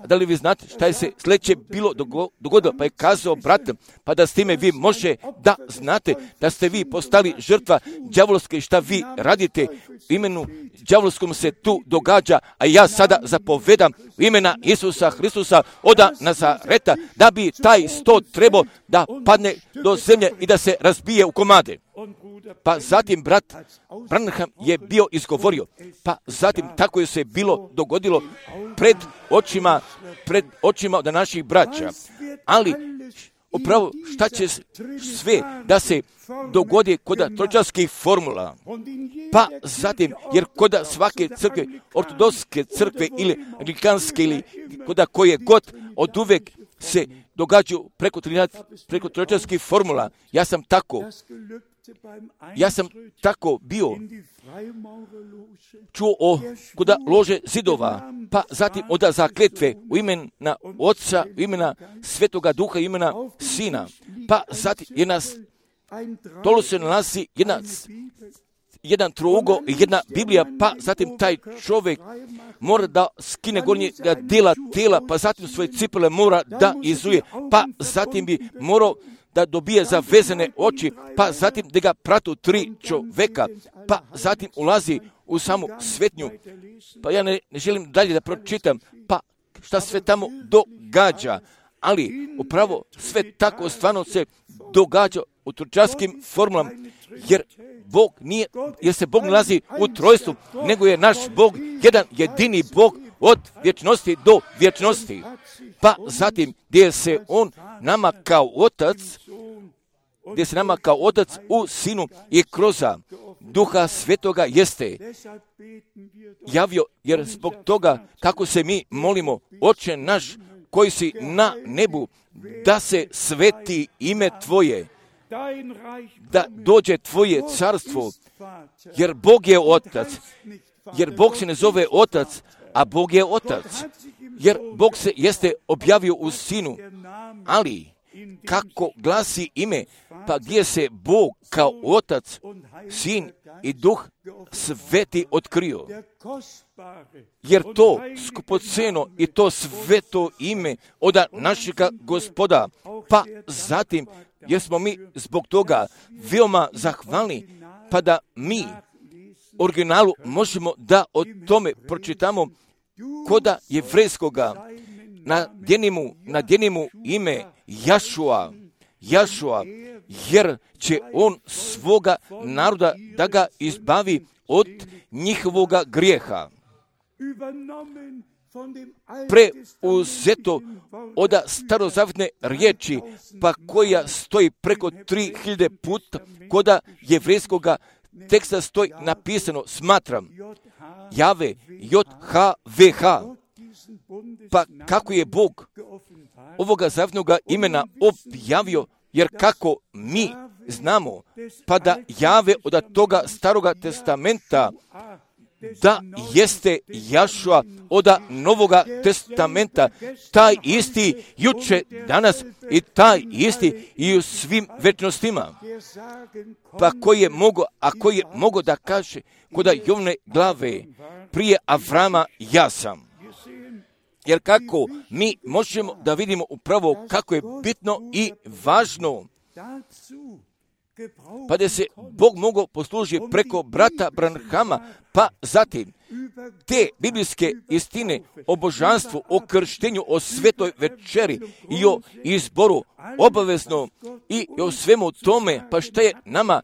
da li vi znate šta je se sljedeće bilo dogodilo, pa je kazao brat, pa da s time vi može da znate da ste vi postali žrtva đavolske, šta vi radite u imenu đavolskom se tu događa, a ja sada zapovedam u imena Isusa Hristusa od Nazareta, da bi taj sto trebao da padne do zemlje i da se razbije u komade. Pa zatim brat Branham je bio izgovorio, pa zatim tako je se bilo dogodilo pred očima od naših braća. Ali upravo šta će sve da se dogodi kod tročarskih formula, pa zatim, jer kod svake crkve, ortodokske crkve ili anglikanske ili kod koje god od uvek se događaju preko tročarskih formula, ja sam tako bio čuo kod lože zidova, pa zatim od zakletve u imena Oca, u imena Svetoga Duha, u imena Sina, pa zatim tolo se nalazi jedan trougo i jedna Biblija, pa zatim taj čovjek mora da skine gornjega dijela tela, pa zatim svoje cipele mora da izuje, pa zatim bi morao da dobije zavezane oči, pa zatim da ga pratu 3 čoveka, pa zatim ulazi u samu svetnju. Pa ja ne želim dalje da pročitam, pa šta sve tamo događa, ali upravo sve tako stvarno se događa u tročarskim formulama, jer se Bog nalazi u trojstvu, nego je naš Bog jedan jedini Bog od vječnosti do vječnosti. Pa zatim gdje se on nama kao otac u Sinu i kroz Duha Svetoga jeste javio, jer zbog toga kako se mi molimo, Oče naš koji si na nebu, da se sveti ime Tvoje, da dođe Tvoje carstvo, jer Bog je otac, jer Bog se ne zove otac, a Bog je otac, jer Bog se jeste objavio u Sinu, ali kako glasi ime, pa gdje se Bog kao Otac, Sin i Duh Sveti otkrio. Jer to skupoceno i to sveto ime od našega Gospoda, pa zatim jer smo mi zbog toga veoma zahvalni, pa da mi originalu možemo da o tome pročitamo koda jevrejskoga na djenimu ime Jašua, jer će on svoga naroda da ga izbavi od njihovoga grijeha. Preuzeto od starozavjetne riječi, pa koja stoji preko 3000 puta koda jevrejskoga teksta stoji napisano, smatram, Jave, JHVH, pa kako je Bog ovoga zavjetnoga imena objavio, jer kako mi znamo, pa da Jave od toga staroga testamenta, da jeste Jašua od Novoga testamenta, taj isti juče, danas i taj isti i u svim večnostima. Pa koji je mogo da kaže koda Jovne glave prije Avrama ja sam. Jer kako mi možemo da vidimo upravo kako je bitno i važno, pa da se Bog mogao poslužiti preko brata Branhama, pa zatim te biblijske istine o božanstvu, o krštenju, o svetoj večeri i o izboru obavezno i o svemu tome, pa šta je nama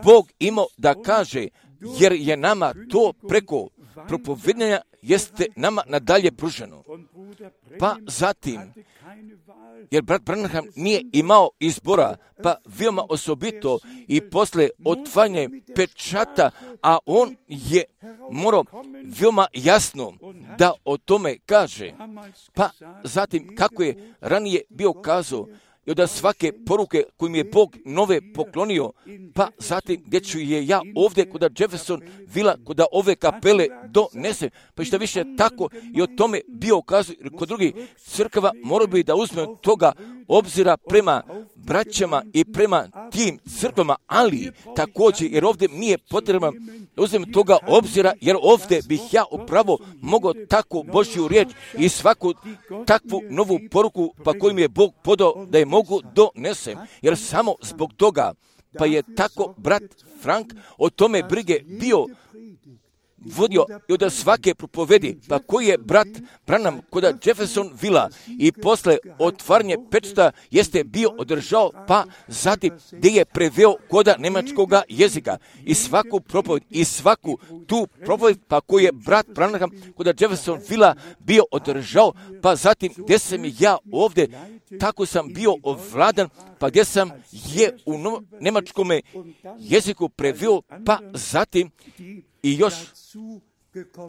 Bog imao da kaže, jer je nama to preko propovedanja jeste nama nadalje pruženo. Pa zatim, jer brat Branham nije imao izbora, pa veoma osobito i posle otvaranja pečata, a on je morao veoma jasno da o tome kaže. Pa zatim, kako je ranije bio kazao, i od svake poruke koju mi je Bog nove poklonio, pa zatim gdje ću je ja ovdje kod Jefferson Villa, kod ove kapele donesem, pa što više tako i o tome bio kazao, kod drugih crkava morao bi da uzme toga obzira prema braćama i prema tim crkvama, ali također, jer ovdje nije potrebno uzmem toga obzira, jer ovdje bih ja upravo mogao tako Božju riječ i svaku takvu novu poruku, pa koju mi je Bog podao da je mogu donesem, jer samo zbog toga, pa je tako brat Frank o tome brige bio vodio i od svake propovedi, pa koji je brat Branham kod Jefferson Villa i posle otvaranje pečata jeste bio održao, pa zatim gdje je preveo kod njemačkoga jezika i svaku propoved i svaku tu propoved, pa koji je brat Branham kod Jefferson Villa bio održao, pa zatim gdje sam ja ovdje, tako sam bio ovladan, pa gdje sam je u njemačkom jeziku preveo, pa zatim i još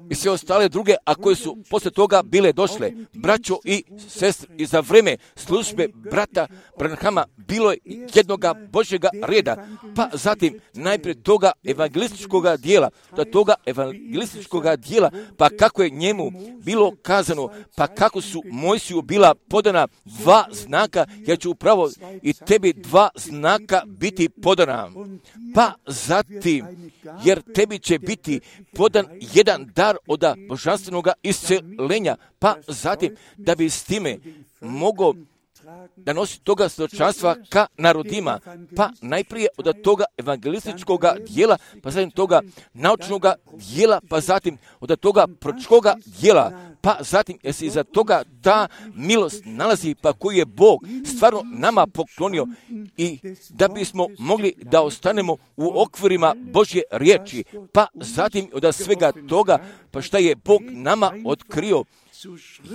i sve ostale druge, a koje su posle toga bile došle. Braćo i sestre, i za vreme službe brata Branhama bilo je jednoga Božjega reda, pa zatim najprije toga evangelističkoga dijela, pa kako je njemu bilo kazano, pa kako su Mojsiju bila podana 2 znaka, ja ću upravo i tebi 2 znaka biti podana. Pa zatim, jer tebi će biti podan jedan dar od božanstvenog iscelenja, pa zatim da bi s time mogao da nosi toga svjedočanstva ka narodima, pa najprije od toga evangelističkog dijela, pa zatim toga naučnog dijela, pa zatim od toga proročkog dijela, pa zatim jer se iza toga ta milost nalazi, pa koju je Bog stvarno nama poklonio i da bismo mogli da ostanemo u okvirima Božje riječi, pa zatim od svega toga, pa šta je Bog nama otkrio,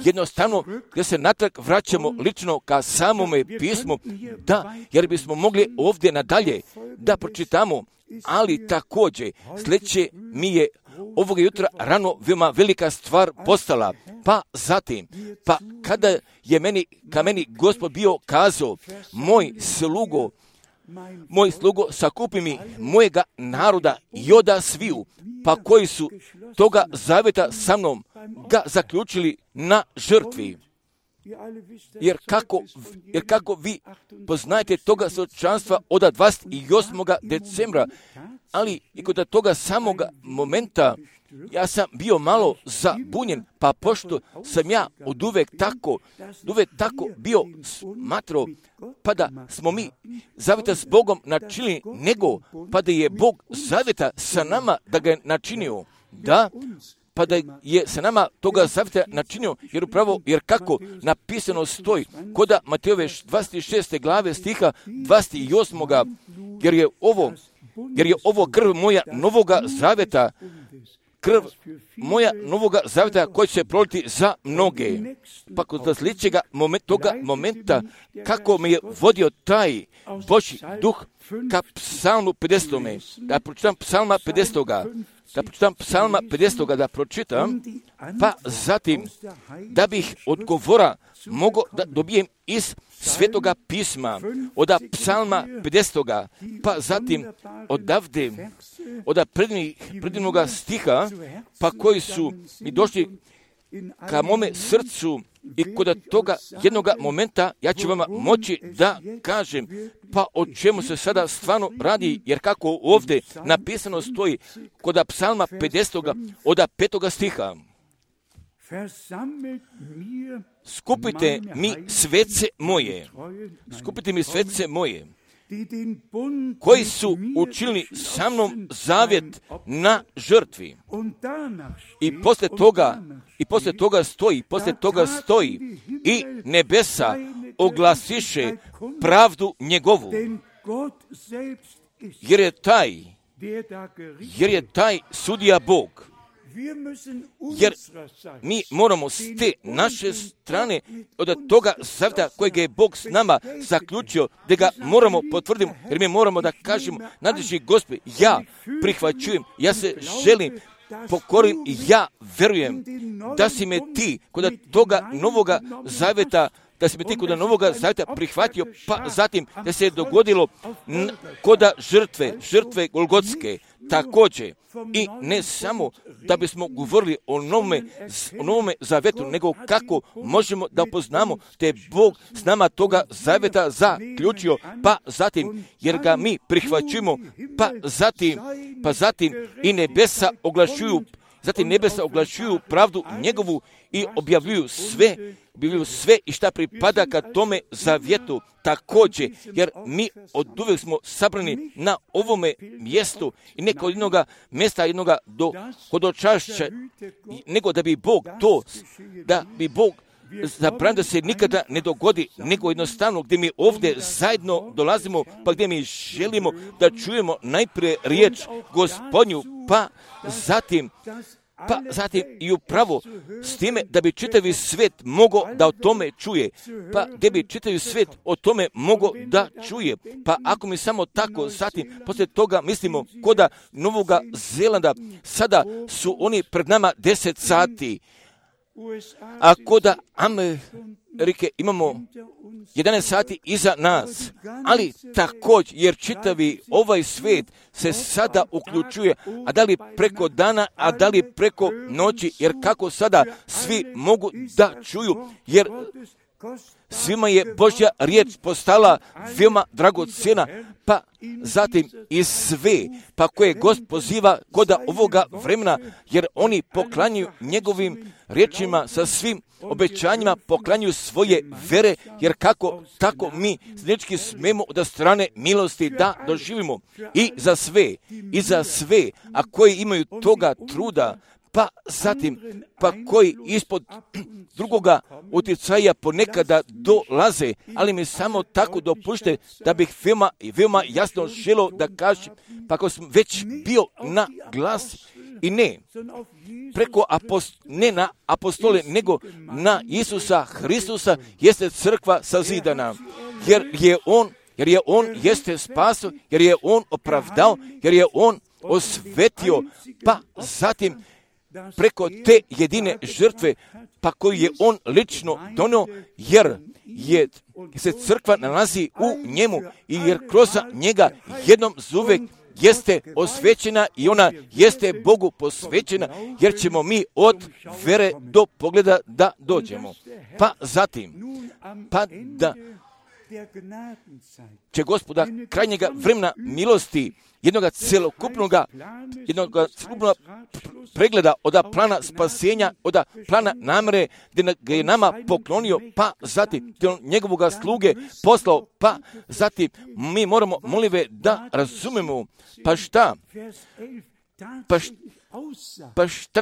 jednostavno gdje se natrag vraćamo lično ka samome pismu, da, jer bismo mogli ovdje nadalje da pročitamo, ali također sljedeće mi je ovog jutra rano veoma velika stvar postala, pa zatim, pa kada je meni Gospod bio kazao, moj slugo sakupi mi mojega naroda i oda sviju, pa koji su toga zaveta sa mnom ga zaključili na žrtvi. Jer kako vi poznajete toga svjedočanstva od 28. decembra, ali i kod toga samoga momenta ja sam bio malo zabunjen, pa pošto sam ja od uvek tako bio smatrao, pa da smo mi zaveta s Bogom načinili, nego pa da je Bog zaveta sa nama da ga je načinio, da, pa da je sa nama toga zaveta načinio, jer kako napisano stoji, koda Matejove 26. glave stiha 28. jer je ovo krv moja novoga zaveta, krv moja novoga zaveta koji će se proliti za mnoge. Pa kod sljedećega toga momenta kako me je vodio taj Božji duh ka psalmu 50. Da pročitam psalma 50. Da pročitam, pa zatim da bih odgovora mogao da dobijem iz Svetoga pisma, od psalma 50. Pa zatim odavde, od predivnoga stiha, pa koji su mi došli ka mome srcu i kod toga jednoga momenta ja ću vama moći da kažem pa o čemu se sada stvarno radi, jer kako ovdje napisano stoji kod psalma 50. od 5. stiha. Skupite mi svece moje, koji su učinili sa mnom zavjet na žrtvi. I poslije toga stoji i nebesa oglasiše pravdu njegovu, jer je taj sudija Bog. Jer mi moramo s te naše strane od toga zavjeta kojeg je Bog s nama zaključio, da ga moramo potvrditi, jer mi moramo da kažemo, nadležni Gospod, ja prihvaćujem, ja se želim, pokorim i ja verujem da si me ti kod toga novoga zavjeta, prihvatio, pa zatim da se je dogodilo kod žrtve Golgotske također. I ne samo da bismo govorili o novome zavjetu, nego kako možemo da poznamo da je Bog s nama toga zavjeta zaključio, pa zatim jer ga mi prihvaćujemo, pa zatim i nebesa oglašuju pravdu njegovu i objavljuju sve i šta pripada ka tome zavjetu također, jer mi od uvijek smo sabrani na ovome mjestu i neko od jednoga mjesta, jednoga do hodočašća, nego da bi Bog zabranio da se nikada ne dogodi, nego jednostavno gdje mi ovdje zajedno dolazimo, pa gdje mi želimo da čujemo najprije riječ Gospodnju, pa zatim i upravo s time da bi čitavi svijet mogao da o tome čuje, pa gdje bi čitavi svijet o tome mogao da čuje, pa ako mi samo tako zatim poslije toga mislimo koda Novoga Zelanda, sada su oni pred nama 10 sati, a koda Amerike imamo 11 sati iza nas, ali također jer čitavi ovaj svijet se sada uključuje, a da li preko dana, a da li preko noći, jer kako sada svi mogu da čuju, jer svima je Božja riječ postala veoma dragocjena, pa zatim i sve, pa koje Gospod poziva koda ovoga vremena, jer oni poklanjuju njegovim riječima sa svim obećanjima, poklanjuju svoje vere, jer kako tako mi znači smemo od strane milosti da doživimo i za sve, a koji imaju toga truda, pa zatim, pa koji ispod drugoga utjecaja ponekada dolaze, ali mi samo tako dopušte da bih veoma jasno želio da kažem, pa ako sam već bio na glas i ne preko ne na apostole, nego na Isusa Hristusa jeste crkva sazidana, jer je on jeste spaso, jer je on opravdao, jer je on osvetio, pa zatim preko te jedine žrtve, pa koju je on lično donio, jer se crkva nalazi u njemu i jer kroz njega jednom zuvek jeste osvećena i ona jeste Bogu posvećena, jer ćemo mi od vere do pogleda da dođemo. Pa zatim, pa da će Gospoda krajnjega vremena milosti, jednoga celokupnog pregleda od plana spasenja, od plana namere, gdje ga je nama poklonio, pa zatim njegovoga sluge poslao, pa zatim mi moramo, molive, da razumemo, pa šta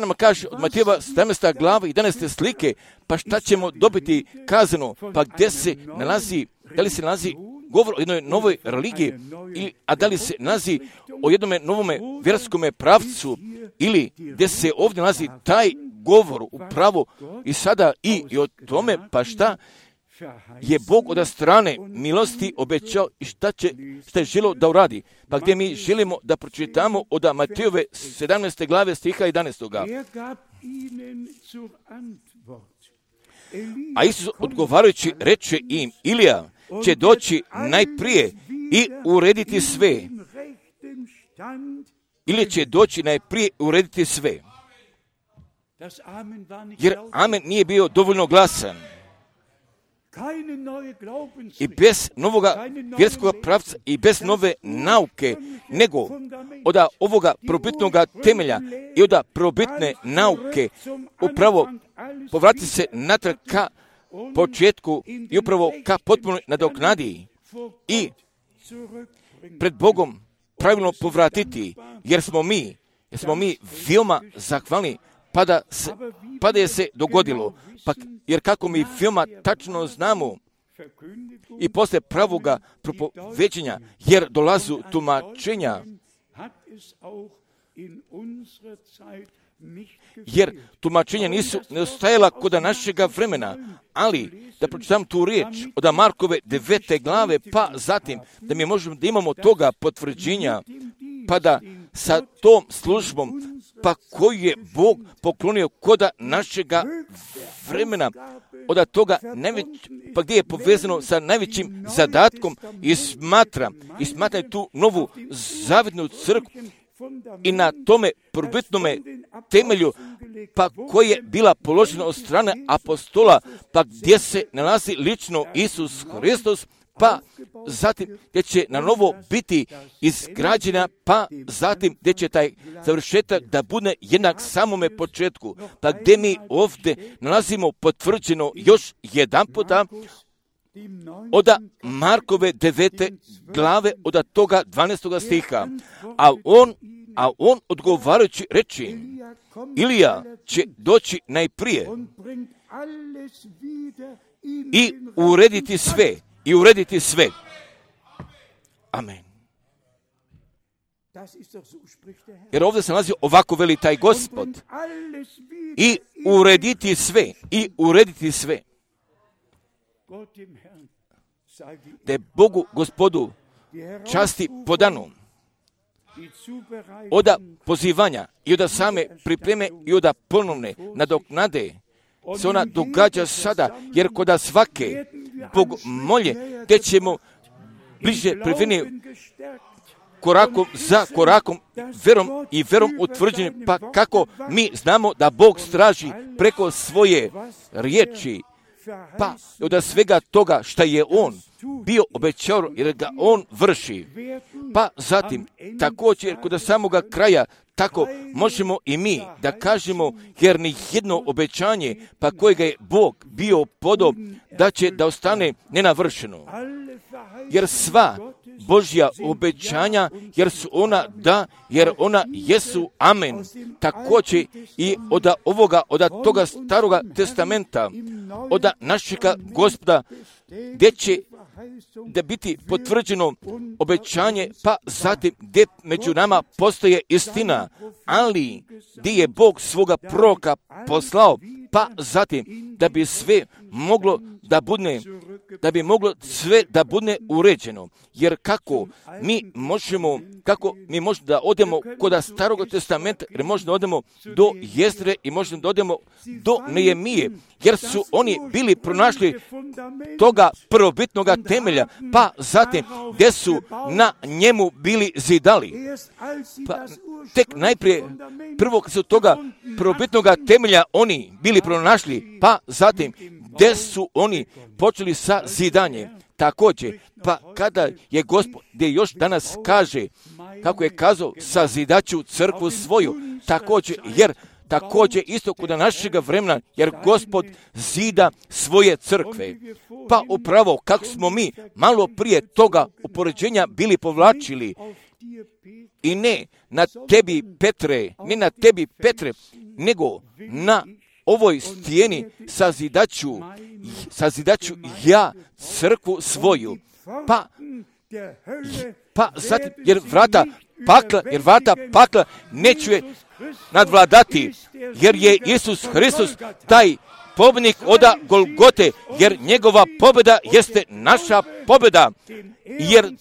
nam kaže od Matejeva 17. glava i 11. slike, pa šta ćemo dobiti kazano, pa gdje se nalazi, da li se nalazi govor o jednoj novoj religiji, a da li se nalazi o jednome novome vjerskome pravcu, ili gdje se ovdje nalazi taj govor upravo i sada i o tome, pa šta je Bog od strane milosti obećao i šta je želio da uradi. Pa gdje mi želimo da pročitamo od Matejove 17. glave stiha 11. A Isus odgovarajući reče im, Ilija će doći najprije i urediti sve. Ili će doći najprije urediti sve. Jer amen nije bio dovoljno glasan. I bez novoga vjerskog pravca i bez nove nauke, nego od ovoga probitnog temelja i od probitne nauke upravo povrati se natrag ka početku i upravo ka potpunoj nadoknadi i pred Bogom pravilno povratiti, jer smo mi veoma zahvalni, pa da je se dogodilo. Pa, jer kako mi veoma tačno znamo i posle pravoga propoveđenja, jer dolazu tumačenja, jer tumačenja nisu neostajala kod našega vremena, ali da pročitam tu riječ od Markove 9. glave, pa zatim da mi možemo da imamo toga potvrđenja, pa da sa tom službom, pa koju je Bog poklonio kod našega vremena, od toga pa gdje je povezano sa najvećim zadatkom i smatra tu novu zavidnu crkvu i na tome prvobitnome temelju, pa koje je bila položena od strane apostola, pa gdje se nalazi lično Isus Hristos, pa zatim gdje će na novo biti izgrađena, pa zatim gdje će taj završetak da bude jednak samome početku, pa gdje mi ovdje nalazimo potvrđeno još jedan puta od Markove 9. glave, od toga 12. stiha, a on odgovarajući reči, Ilija će doći najprije i urediti sve. Amen. Jer ovdje se nalazi ovako, veli taj Gospod, i urediti sve. Da je Bogu Gospodu časti podanu od pozivanja i od same pripreme i od ponovne nadoknade se ona događa sada, jer kod svake Bog molje, te ćemo bliže priveni korakom za korakom, verom utvrđeni, pa kako mi znamo da Bog straži preko svoje riječi, pa od svega toga što je On bio obećao, jer ga On vrši. Pa zatim, također kod samoga kraja, tako možemo i mi da kažemo, jer ni jedno obećanje, pa kojega je Bog bio podob, da će da ostane nenavršeno. Jer sva Božja obećanja, jer su ona da, jer ona jesu amen. Također i od toga staroga testamenta, od našega Gospoda, gdje će da biti potvrđeno obećanje, pa zatim gdje među nama postoje istina, ali gdje je Bog svoga proroka poslao, pa zatim da bi sve moglo da bude da bi moglo sve da bude uređeno. Jer kako mi možemo da odemo kod Starog testamenta, jer možemo da odemo do Jezdre i možemo da odemo do Nehemije, jer su oni bili pronašli toga prvobitnoga temelja, pa zatim gdje su na njemu bili zidali. Pa tek najprije prvo kad su toga prvobitnoga temelja oni bili pronašli, pa zatim gdje su oni počeli sa zidanjem. Također, pa kada je Gospod, gdje još danas kaže, kako je kazao, sazidaću crkvu svoju, također isto kod našega vremena, jer Gospod zida svoje crkve. Pa upravo kako smo mi malo prije toga upoređenja bili povlačili, i ne na tebi Petre, nego na ovoj stijeni sazidaću ja crkvu svoju. Pa zatim, jer vrata pakla neće je nadvladati, jer je Isus Hristos taj pobjednik od Golgote, jer njegova pobjeda jeste naša pobjeda, jer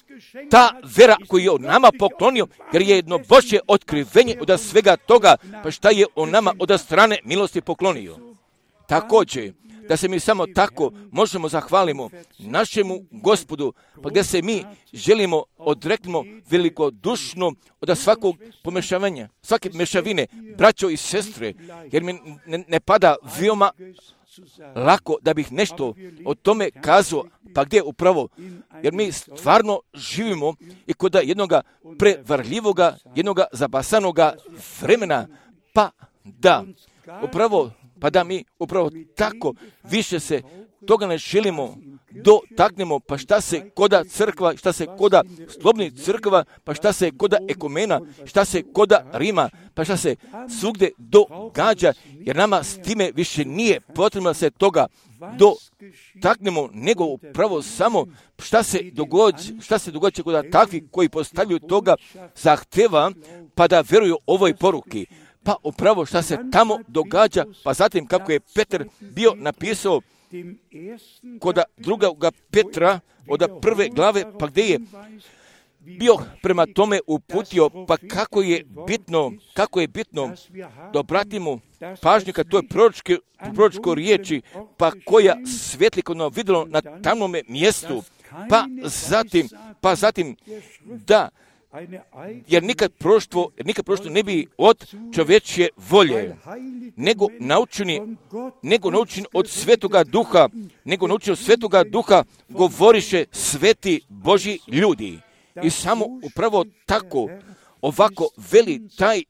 ta vera koju je on nama poklonio, jer je jedno Božje otkrivenje od svega toga, pa šta je on nama od strane milosti poklonio. Također, da se mi samo tako možemo zahvalimo našemu Gospodu, pa gdje se mi želimo odreknemo velikodušno od svakog pomešavanja, svake mešavine, braćo i sestre, jer mi ne pada veoma lako da bih nešto o tome kazao, pa gdje upravo, jer mi stvarno živimo i kod jednoga prevarljivoga, jednoga zabasanoga vremena, pa da mi upravo tako više se toga ne želimo dotaknemo, pa šta se koda crkva, šta se koda slobodnih crkva, pa šta se koda ekumena, šta se koda Rima, pa šta se svugdje događa, jer nama s time više nije potrebno se toga dotaknemo, nego upravo samo šta se događa kod takvih koji postavljaju toga zahteva, pa da vjeruju ovoj poruki. Pa upravo šta se tamo događa, pa zatim kako je Petar bio napisao kod drugoga Petra od prve glave, pa gdje je bio prema tome uputio, pa kako je bitno da obratimo pažnju kad to je proročko riječi, pa koja svijetli kod nas vidjelo na tamnome mjestu, pa zatim da, jer nikad proštvo ne bi od čovječje volje, nego naučeni od Svetoga Duha, govoriše sveti Božji ljudi. I samo upravo tako, ovako veli taj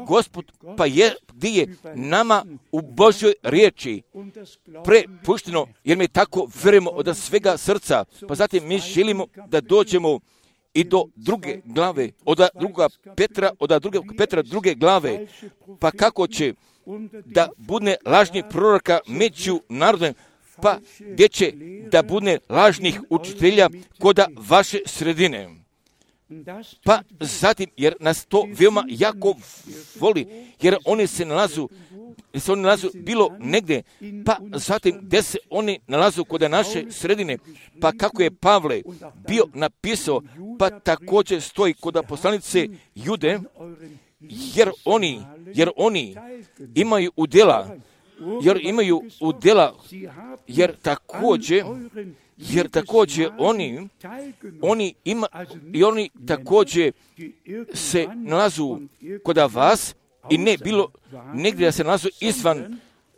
Gospod, pa je gdje je nama u Božjoj riječi prepušteno, jer mi tako vjerujemo od svega srca, pa zatim mi želimo da dođemo i do druge glave, od drugog Petra druge glave, pa kako će da bude lažnih proroka među narodom, pa gdje će da bude lažnih učitelja koda vaše sredine. Pa zatim, jer nas to veoma jako voli, jer oni se nalazu bilo negdje, pa zatim gdje se oni nalazu kod naše sredine, pa kako je Pavle bio napisao, pa također stoji kod poslanice Jude, jer oni imaju udjela, jer također oni također se nalazu kod vas i ne bilo negdje da se nalazu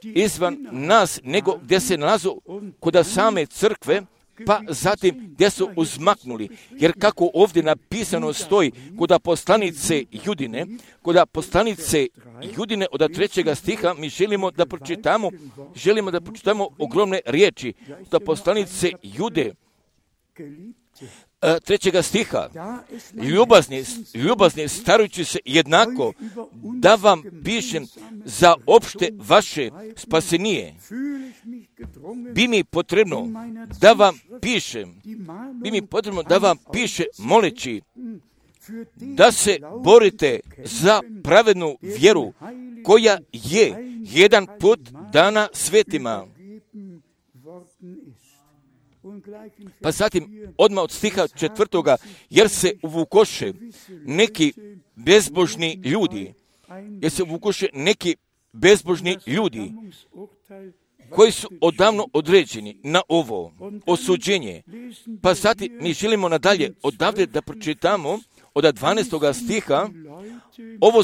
izvan nas, nego gdje se nalazu kod same crkve, pa zatim gdje su uzmaknuli. Jer kako ovdje napisano stoji kod poslanice Judine od 3. stiha, mi želimo da pročitamo ogromne riječi. Kod poslanice Jude 3. stiha, ljubazni starujući se jednako, da vam pišem za opšte vaše spasenije. Bi mi potrebno da vam piše moleći da se borite za pravednu vjeru koja je jedan put dana svetima. Pa zatim, odmah od stiha 4. jer se uvukoše neki bezbožni ljudi, koji su odavno određeni na ovo osuđenje. Pa zatim mi želimo nadalje odavde da pročitamo od 12. stiha, ovo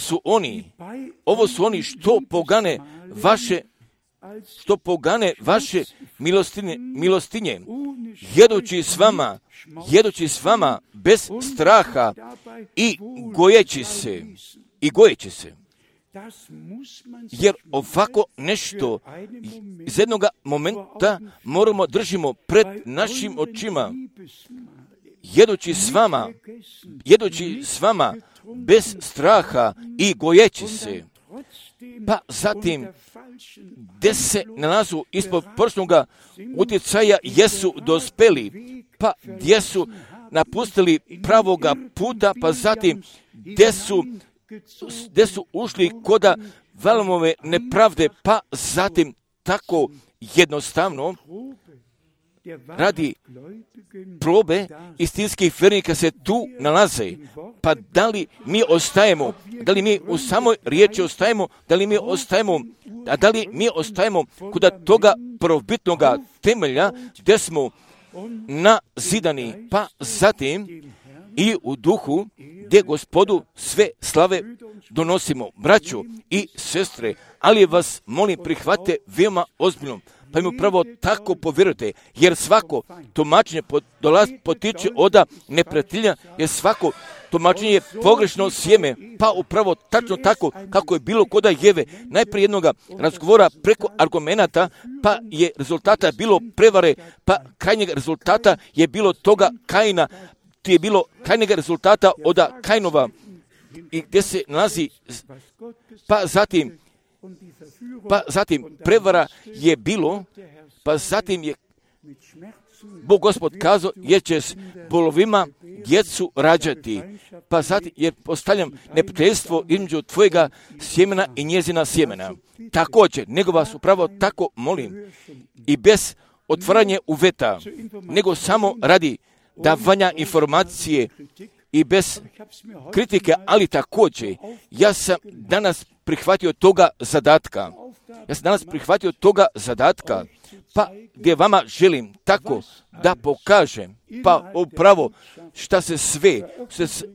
su oni što pogane vaše milostinje, jedući s vama bez straha i gojeći se. Jer ovako nešto iz jednog momenta moramo držimo pred našim očima, jedući s vama bez straha i gojeći se. Pa zatim, gdje se nalazu ispod površnoga utjecaja jesu dospeli, pa gdje su napustili pravoga puta, pa zatim gdje su ušli koda valomove nepravde, pa zatim tako jednostavno radi probe istinskih vjernika se tu nalaze. Pa da li mi ostajemo, da li mi u samoj riječi ostajemo, da li mi ostajemo kod toga prvobitnoga temelja gdje smo nazidani, pa zatim i u duhu gdje Gospodu sve slave donosimo. Braćo i sestre, ali vas molim prihvatite veoma ozbiljno, pa im upravo tako povjerujte, jer svako tumačenje potiče od neprijatelja, jer svako tumačenje je pogrešno sjeme, pa upravo tačno tako kako je bilo koda Jeve, najprije jednoga razgovora preko argumenata, pa je rezultata bilo prevare, pa krajnjeg rezultata je bilo toga Kaina, to je bilo krajnjeg rezultata od Kainova, i gdje se nalazi, pa zatim prevara je bilo, pa zatim je Bog Gospod kazao, jer će s bolovima djecu rađati, pa zatim je postavljam neprijateljstvo između tvojega sjemena i njezina sjemena. Također, nego vas upravo tako molim, i bez otvaranja uveta, nego samo radi davanja informacije i bez kritike, ali također, ja sam danas prihvatio toga zadatka, pa gdje vama želim tako da pokažem, pa upravo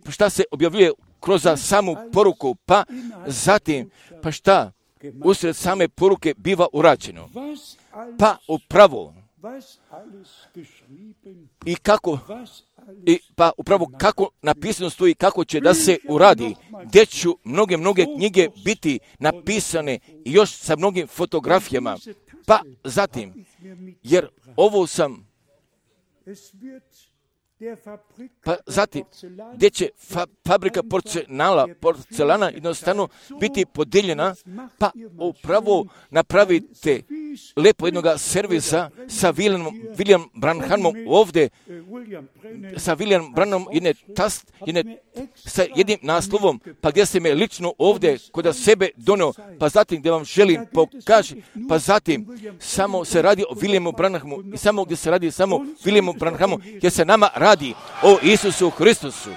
šta se objavljuje kroz samu poruku, pa zatim, pa šta usred same poruke biva urađeno, pa upravo pa upravo kako napisano stoji kako će da se uradi, gdje ću mnoge knjige biti napisane i još sa mnogim fotografijama, pa zatim, jer ovo sam, pa zatim, gdje će fabrika porcelana jednostavno biti podijeljena, pa upravo napravite lepo jednog servisa sa William Branhamom ovdje, sa William Branhamom sa jednim naslovom, pa gdje se me lično ovdje kod sebe donio, pa zatim gdje vam želim pokaži, pa zatim samo se radi o Williamu Branhamu i samo gdje se radi samo Williamu Branhamu, gdje se nama radi o Isusu Hristusu.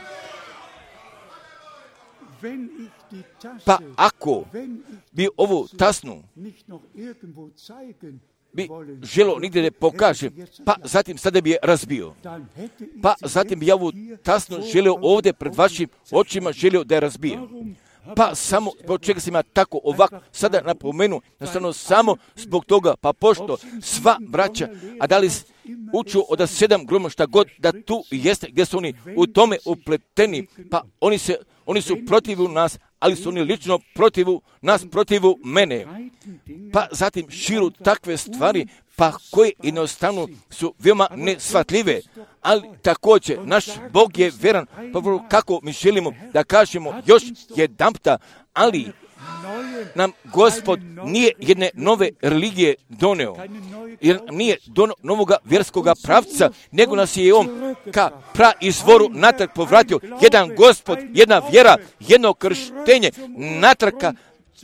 Pa ako bi ovu tasnu bi želo nigdje da pokaže, pa zatim sada bi je razbio. Pa zatim bi ja ovu tasnu želio ovdje pred vašim očima želio da je razbijem. Pa samo zbog čega sam ja tako ovako sada napomenu, nastavno samo zbog toga, pa pošto sva braća, a da li uču od 7 groma šta god da tu jeste, gdje su oni u tome upleteni, pa oni su protiv nas, ali su oni lično protiv nas, protiv mene. Pa zatim širu takve stvari, pa koje jednostavno su veoma nesvatljive, ali također naš Bog je vjeran, pa kako mi želimo da kažemo još jedanputa, ali nam Gospod nije jedne nove religije doneo, jer nije donio novoga vjerskoga pravca, nego nas je on ka praizvoru natrag povratio, jedan Gospod, jedna vjera, jedno krštenje, natrag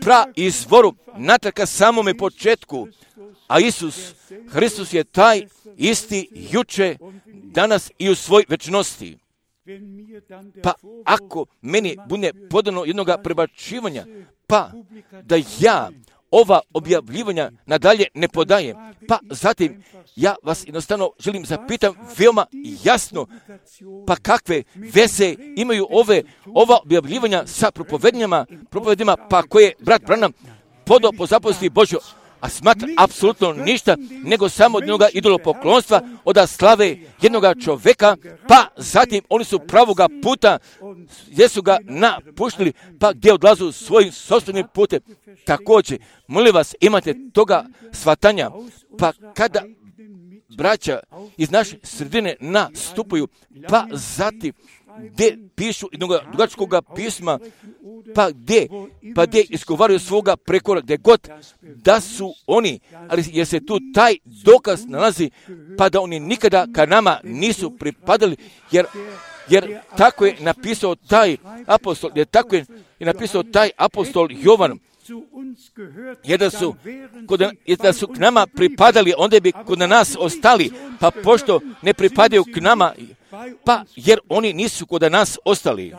praizvoru, natrag ka samome početku. A Isus Hristos je taj isti juče, danas i u svoj večnosti. Pa ako meni bude podano jednoga prebačivanja, pa da ja ova objavljivanja nadalje ne podajem, pa zatim ja vas jednostavno želim zapitam veoma jasno, pa kakve veze imaju ova objavljivanja sa propovedima, pa koje brat Branham podao po zapovesti Božjo, a smatra apsolutno ništa, nego samo od njega idolopoklonstva, od slave jednoga čoveka, pa zatim oni su pravoga puta, gdje su ga napuštili, pa gdje odlazu svojim sopstvenim putem. Također, molim vas, imate toga shvatanja, pa kada braća iz naše sredine nastupaju, pa gdje pišu jednog dugačkog pisma, pa gdje izgovaraju svoga prekora, gdje god da su oni, ali jer se tu taj dokaz nalazi, pa da oni nikada ka nama nisu pripadali, jer tako je napisao taj apostol, Jovan, jer da su k nama pripadali, onda bi kod nas ostali, pa pošto ne pripadaju k nama, pa jer oni nisu kod nas ostali.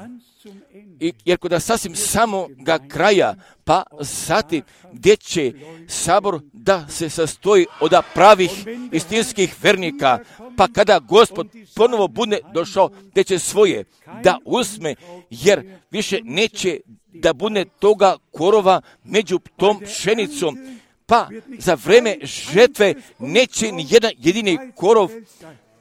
Jer kod sasvim samoga kraja, pa zatim gdje će sabor da se sastoji od pravih istinskih vernika, pa kada Gospod ponovo bude došao, gdje će svoje da uzme, jer više neće da bude toga korova među tom pšenicom, pa za vreme žetve neće ni jedan jedini korov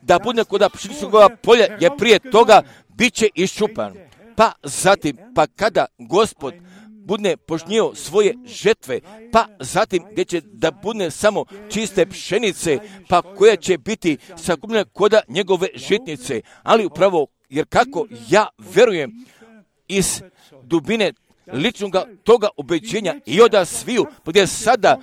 da bude kod pšeničnog polja, jer prije toga bit će iščupan. Pa zatim, pa kada Gospod bude požnjio svoje žetve, pa zatim gdje će da bude samo čiste pšenice, pa koja će biti sakupljena kod njegove žitnice. Ali upravo, jer kako ja verujem iz dubine ličnog toga ubeđenja i od sviju, gdje sada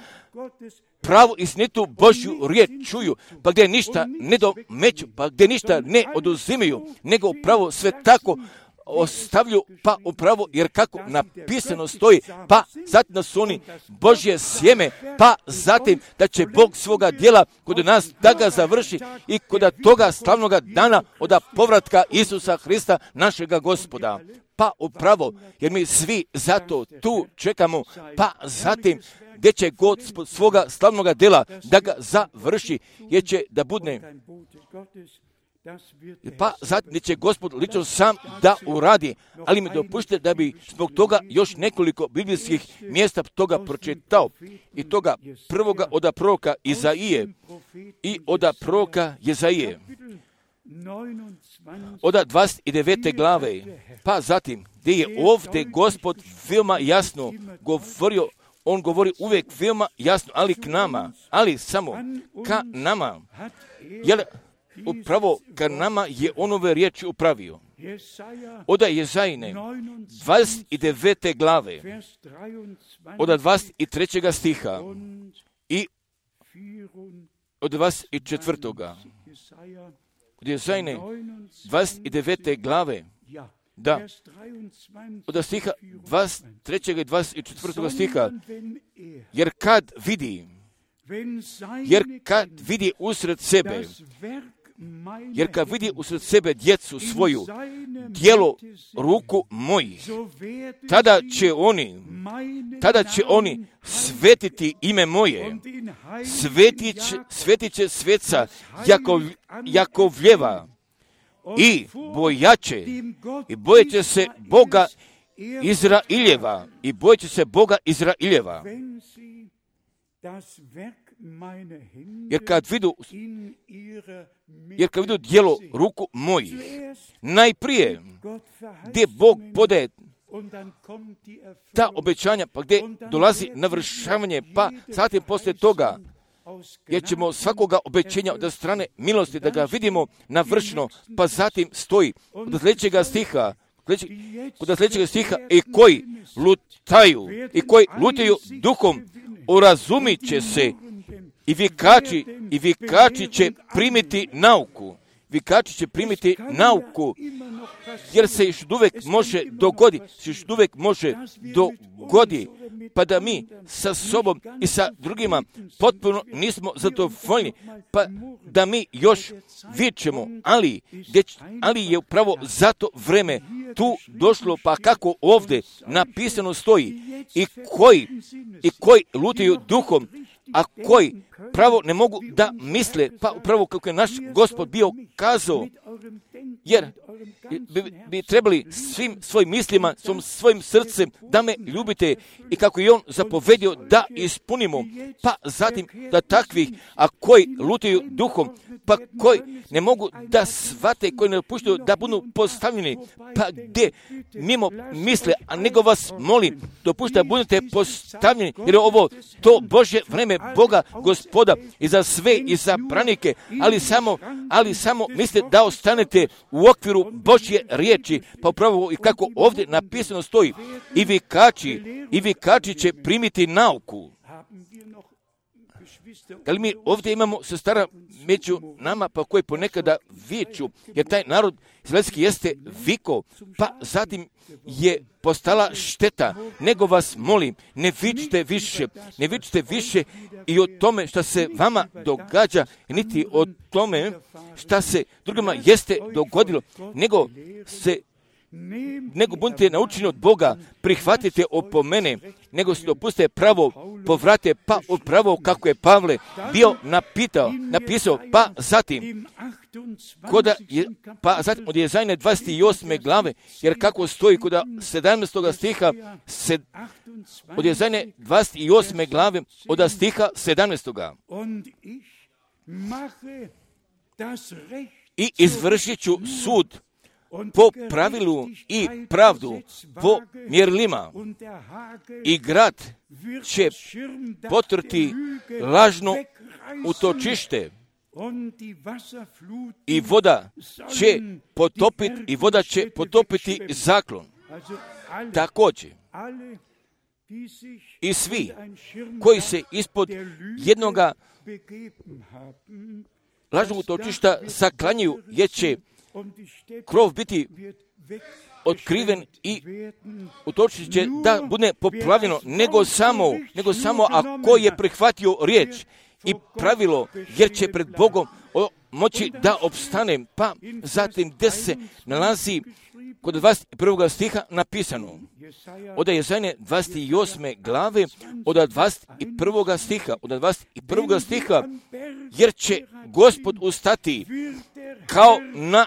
pravu istinitu Božju riječ čuju, pa gdje ništa ne domeću, pa gdje ništa ne oduzimaju, nego upravo sve tako ostavlju, pa upravo, jer kako napisano stoji, pa zatim da su oni Božje sjeme, pa zatim da će Bog svoga djela kod nas da ga završi i kod toga slavnoga dana od povratka Isusa Hrista, našega Gospoda. Pa upravo, jer mi svi zato tu čekamo, pa zatim gdje će Gospod svoga slavnoga djela da ga završi, jer će da bude, pa zatim će Gospod lično sam da uradi, ali mi dopušte da bi zbog toga još nekoliko biblijskih mjesta toga pročitao, i toga prvoga od proroka Izaije i od proroka Jezaije od 29. glave, pa zatim gdje je ovdje Gospod veoma jasno govorio, on govori uvijek veoma jasno, ali k nama, ali samo ka nama, jer upravo ka nama je on ove riječi upravio. Od Jezajine 29. glave, od 23. stiha i od 24. Od Jezajine 29. glave, da, od stiha 23. i 24. stiha, jer kad vidi usred sebe djecu svoju, djelo ruku mojih, tada će oni svetiti ime moje, svetit će sveca Jakovljeva i bojeće se Boga Izraeljeva, jer kad vidu djelo ruku mojih, najprije gdje Bog podaje ta obećanja, pa gdje dolazi navršavanje, pa zatim poslije toga, jer ćemo svakoga obećenja od strane milosti da ga vidimo navršeno, pa zatim stoji od sljedećega stiha, i koji lutaju duhom, urazumit će se, i vikači će primiti nauku, jer se još uvijek može dogoditi, pa da mi sa sobom i sa drugima potpuno nismo zadovoljni, pa da mi još vičemo, ali je upravo zato vreme tu došlo, pa kako ovdje napisano stoji, i koji lutaju duhom, a koji pravo ne mogu da misle, pa upravo kako je naš Gospod bio kazao, jer bi trebali svim svojim mislima, svojim srcem da me ljubite, i kako je on zapovedio da ispunimo, pa zatim da takvih, a koji lutaju duhom, pa koji ne mogu da shvate, koji ne dopuštaju da budu postavljeni, pa gdje mimo misle, a nego vas molim, dopušta da budete postavljeni, jer je ovo to Božje vreme Boga Gospoda i za sve i za branike, ali samo mislite da ostanete u okviru Božje riječi, pa upravo i kako ovdje napisano stoji, i vikači će primiti nauku. Da li mi ovdje imamo sestara među nama, pa koji ponekada viču, jer taj narod izraelski jeste vikao, pa zatim je postala šteta, nego vas molim, ne vičite više i o tome što se vama događa, niti o tome što se drugima jeste dogodilo, nego budite naučeni od Boga, prihvatite opomene, nego se dopustite pravo, povrate, pa upravo kako je Pavle bio napisao, pa zatim od Jezajne 28. glave, jer kako stoji kod 17. stiha, od Jezajne 28. glave, od stiha 17. I izvršit ću sud po pravilu i pravdu, po mjerilima, i grad će potrti lažno utočište, i voda će potopiti zaklon. Također, i svi koji se ispod jednoga lažnog utočišta saklanjaju, jer će krov biti otkriven i utočište će da bude poplavljeno, nego samo ako je prihvatio riječ i pravilo, jer će pred Bogom moći da opstane. Pa zatim gdje se nalazi kod 21. stiha napisano, od Jezajne 28. glave, od 21. stiha, jer će Gospod ustati kao na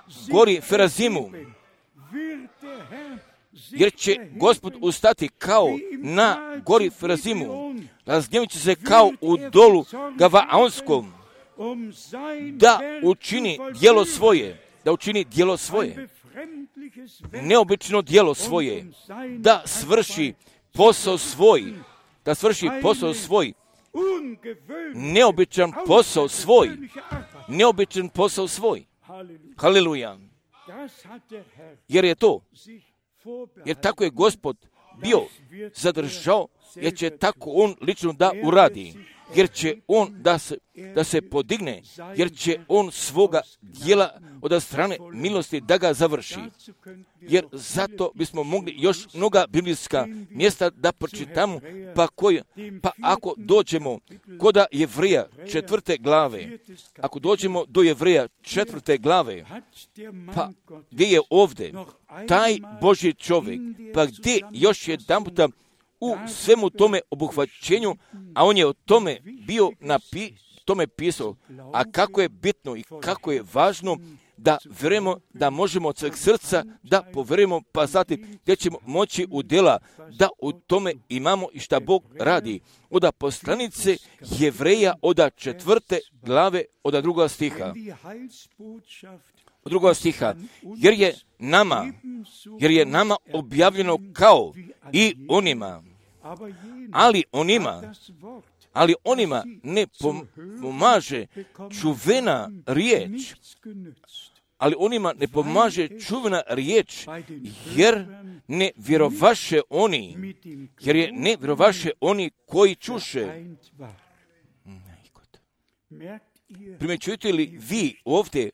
gori Ferazimu, razgnjevit će se kao u dolu Gavaonskom, da učini djelo svoje, neobično djelo svoje, da svrši posao svoj, neobičan posao svoj. Haleluja. Jer tako je Gospod bio zadržao, jer će tako on lično da uradi, jer će on da se podigne, jer će on svoga djela od strane milosti da ga završi. Jer zato bismo mogli još mnoga biblijska mjesta da pročitamo, pa ako dođemo kod Jevreja 4. glave, ako dođemo do Jevreja 4. glave, pa gdje je ovdje taj Božji čovjek, pa gdje još jedanputa u svemu tome obuhvaćenju, a on je o tome bio tome pisao, a kako je bitno i kako je važno da vjerujemo da možemo od sveg srca da povjerujemo, pa zatim gdje ćemo moći u djela da u tome imamo i šta Bog radi. Od poslanice Jevreja od 4. glave od 2. stiha. Od 2. stiha, jer je nama objavljeno kao i onima, ali onima ne pomaže čuvena riječ, jer ne vjerovaše oni koji čuše. Primjećujete li vi ovdje,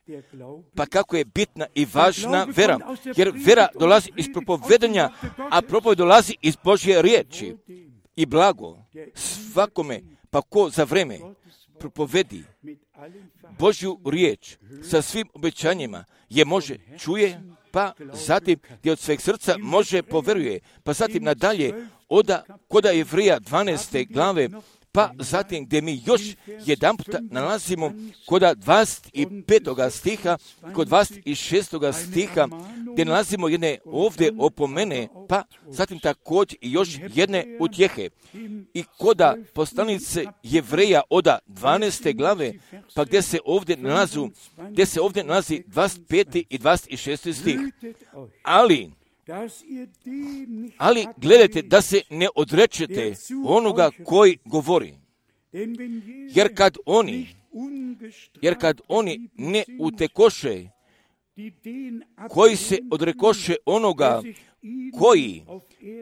pa kako je bitna i važna vera, jer vera dolazi iz propovedanja, a propoved dolazi iz Božje riječi. i blago svakome, pa ko za vreme propovedi Božju riječ sa svim obećanjima je može čuje, pa zatim gdje od sveg srca može poveruje, pa zatim nadalje koda Jevrija 12. glave, pa zatim gdje mi još jedan puta nalazimo kod 25. stiha, kod 26. stiha, gdje nalazimo jedne ovdje opomene, pa zatim također i još jedne utjehe. I koda poslanice Jevreja od 12. glave, pa gdje se ovdje nalazi 25. i 26. stih. Ali gledajte da se ne odrečete onoga koji govori, jer kad oni ne utekoše, koji se odrekoše onoga koji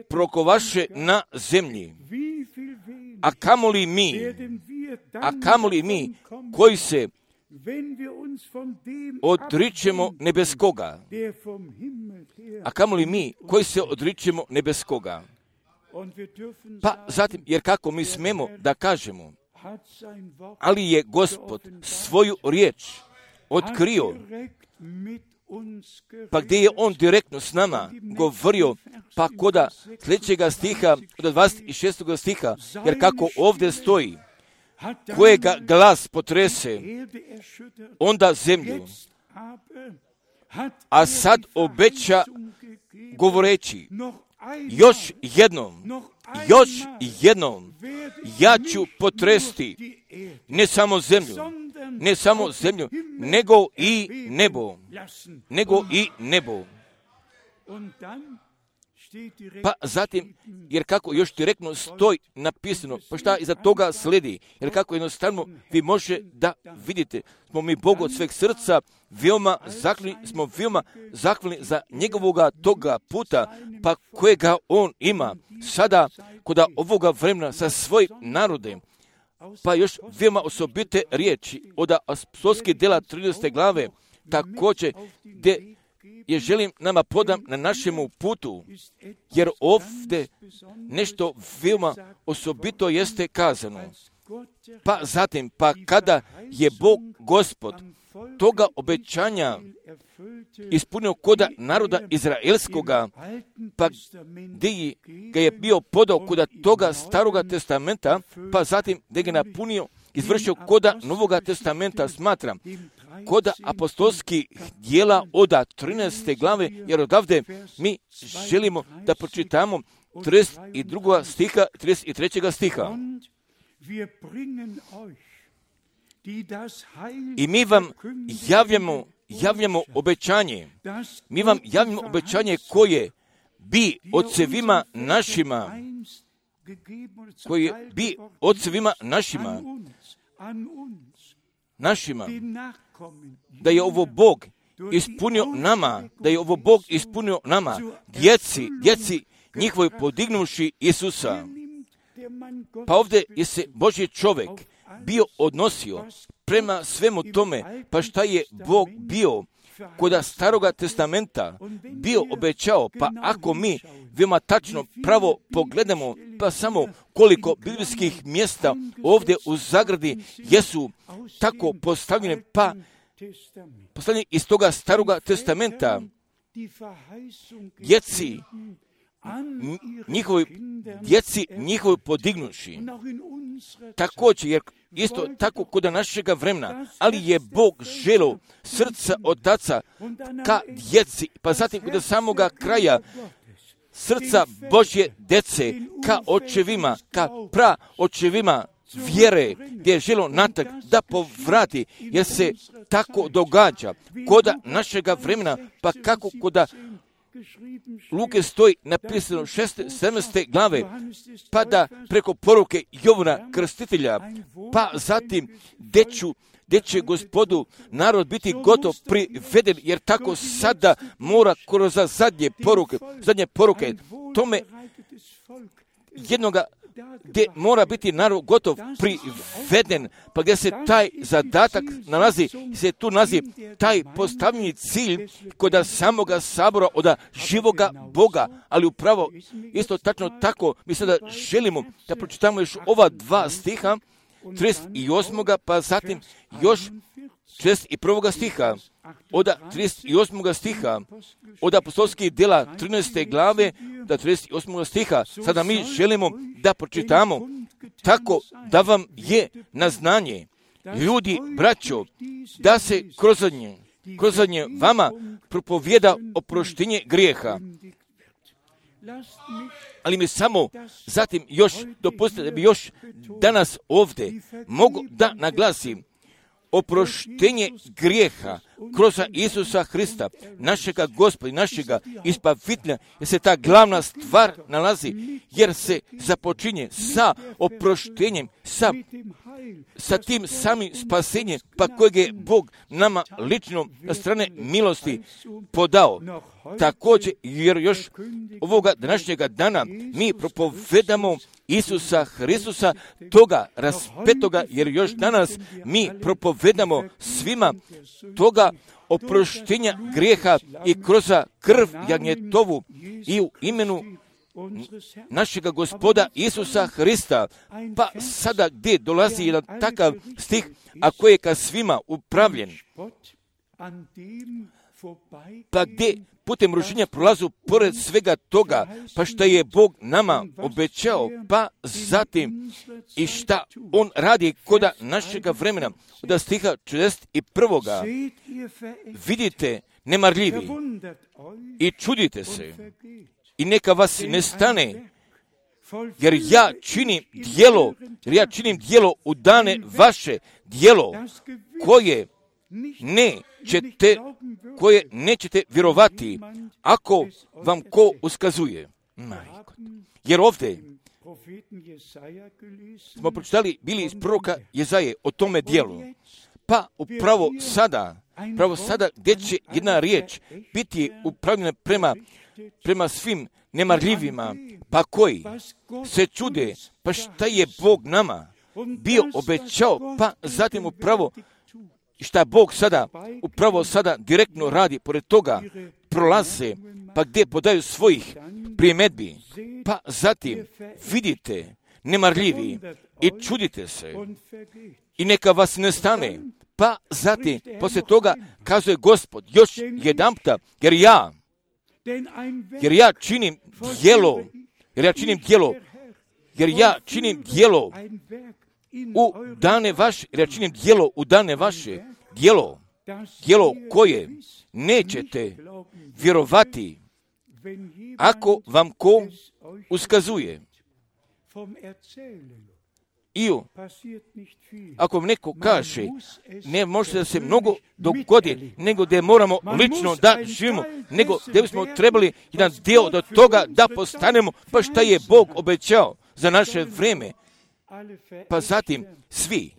prokovaše na zemlji, a kamoli mi koji se odričemo nebeskoga, Pa zatim, jer kako mi smemo da kažemo, ali je Gospod svoju riječ otkrio, pa gdje je on direktno s nama govorio, pa koda sljedećega stiha, od 26. stiha, jer kako ovdje stoji, kojega glas potrese, onda zemlju, a sad obeća govoreći, još jednom, ja ću potresti ne samo zemlju, nego i nebo. Pa zatim, jer kako još direktno stoji napisano, pa šta iza toga sledi, jer kako jednostavno vi može da vidite, smo mi Bogu od sveg srca veoma zahvalni za njegovoga toga puta, pa kojega on ima sada kod ovoga vremena sa svojim narodem. Pa još veoma osobite riječi od apostolskih djela 13. glave, također gdje je želim nama podam na našemu putu, jer ovdje nešto veoma osobito jeste kazano. Pa zatim, pa kada je Bog Gospod toga obećanja ispunio koda naroda Izraelskoga, pa gdje ga je bio podao koda toga staroga testamenta, pa zatim gdje ga napunio, izvršio koda Novoga testamenta, smatram, koda apostolskih djela od 13. glave, jer odavde mi želimo da pročitamo 32. stiha, 33. stiha. I mi vam javljamo obećanje. Mi vam javljamo obećanje koje bi ocevima našima, da je ovo Bog ispunio nama, djeci njihovoj podignuši Isusa. Pa ovdje je se Božji čovjek bio odnosio prema svemu tome, pa šta je Bog bio kod staroga testamenta bio obećao, pa ako mi veoma tačno pravo pogledamo, pa samo koliko biblijskih mjesta ovdje u zagradi jesu tako postavljene, pa postavljene iz toga staroga testamenta, djeci njihovi podignuši. Također, jer isto tako kod našega vremena, ali je Bog želio srca otaca ka djeci, pa zatim kod samoga kraja srca Božje djece ka očevima, ka praočevima vjere, gdje je želio natrag da povrati, jer se tako događa koda našega vremena, pa kako koda Luke stoji napisano 17. glave, pa da preko poruke Jovana Krstitelja, pa zatim gdje će Gospodu narod biti gotov priveden, jer tako sada mora kroz zadnje poruke tome jednoga gdje mora biti narod gotov priveden, pa gdje se taj zadatak nalazi, se tu nalazi taj postavljeni cilj kod samoga sabora od živoga Boga, ali upravo isto tačno tako mi sada želimo da pročitamo još ova 2 stiha, 38. pa zatim još 61. stiha, od 38. stiha, od apostolskih djela 13. glave do 38. stiha. Sada mi želimo da pročitamo tako da vam je na znanje, ljudi, braćo, da se kroz nje vama propovijeda oproštenje grijeha. Ali mi samo zatim još dopustite da bi još danas ovdje mogu da naglasim oproštenje grijeha kroz Isusa Hrista, našega Gospoda, našega Izbavitelja, jer se ta glavna stvar nalazi, jer se započinje sa oproštenjem, sa tim samim spasenjem, pa kojeg je Bog nama lično na strane milosti podao. Također, jer još ovoga današnjega dana mi propovedamo Isusa Hristusa, toga raspetoga, jer još danas mi propovedamo svima toga oproštenja grijeha i kroz krv jagnjetovu i u imenu našega Gospoda Isusa Hrista. Pa sada gdje dolazi jedan takav stih, a koji je ka svima upravljen, pa gdje putem rušenja prolazu pored svega toga, pa šta je Bog nama obećao, pa zatim i šta On radi koda našega vremena. Od stiha 41. vidite nemarljivi i čudite se i neka vas ne stane, jer ja činim djelo u dane vaše, djelo koje nećete vjerovati ako vam ko uskazuje. Jer ovdje smo pročitali bili iz proroka Jezaje o tome djelu. Pa upravo sada gdje će jedna riječ biti upravljena prema svim nemarljivima, pa koji se čude, pa šta je Bog nama bio obećao, pa zatim upravo šta Bog upravo sada direktno radi, pored toga prolaze, pa gdje podaju svojih primjedbi, pa zatim vidite nemarljivi i čudite se i neka vas ne stane, pa zatim poslije toga kazuje Gospod još jedanputa, jer ja činim djelo u dane vaše, jer ja činim djelo u dane vaše, djelo koje nećete vjerovati ako vam ko uskazuje. I ako vam neko kaže, ne može da se mnogo dogodi, nego da moramo lično da živimo, nego da bismo trebali jedan dio od toga da postanemo, pa šta je Bog obećao za naše vrijeme. Pa zatim svi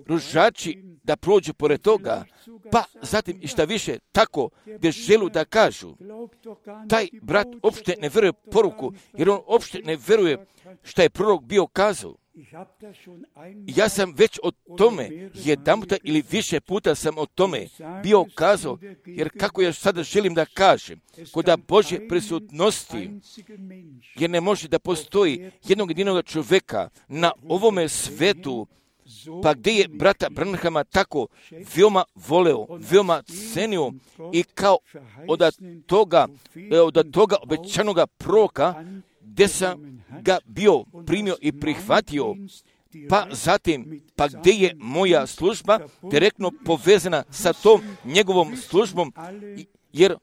ružači da prođu pored toga, pa zatim i šta više tako gdje želu da kažu. Taj brat uopšte ne vjeruje poruku, jer on uopšte ne vjeruje šta je prorok bio kazao. Ja sam već o tome jedanputa ili više puta sam o tome bio kazao, jer kako ja sada želim da kažem, kod Božje prisutnosti, jer ne može da postoji jednog jedinog čovjeka na ovome svetu, pa gdje je brata Branhama tako veoma voleo, veoma cenio i kao od toga obećanoga proroka, gdje sam ga bio primio i prihvatio, pa zatim, pa gdje je moja služba direktno povezana sa tom njegovom službom, jer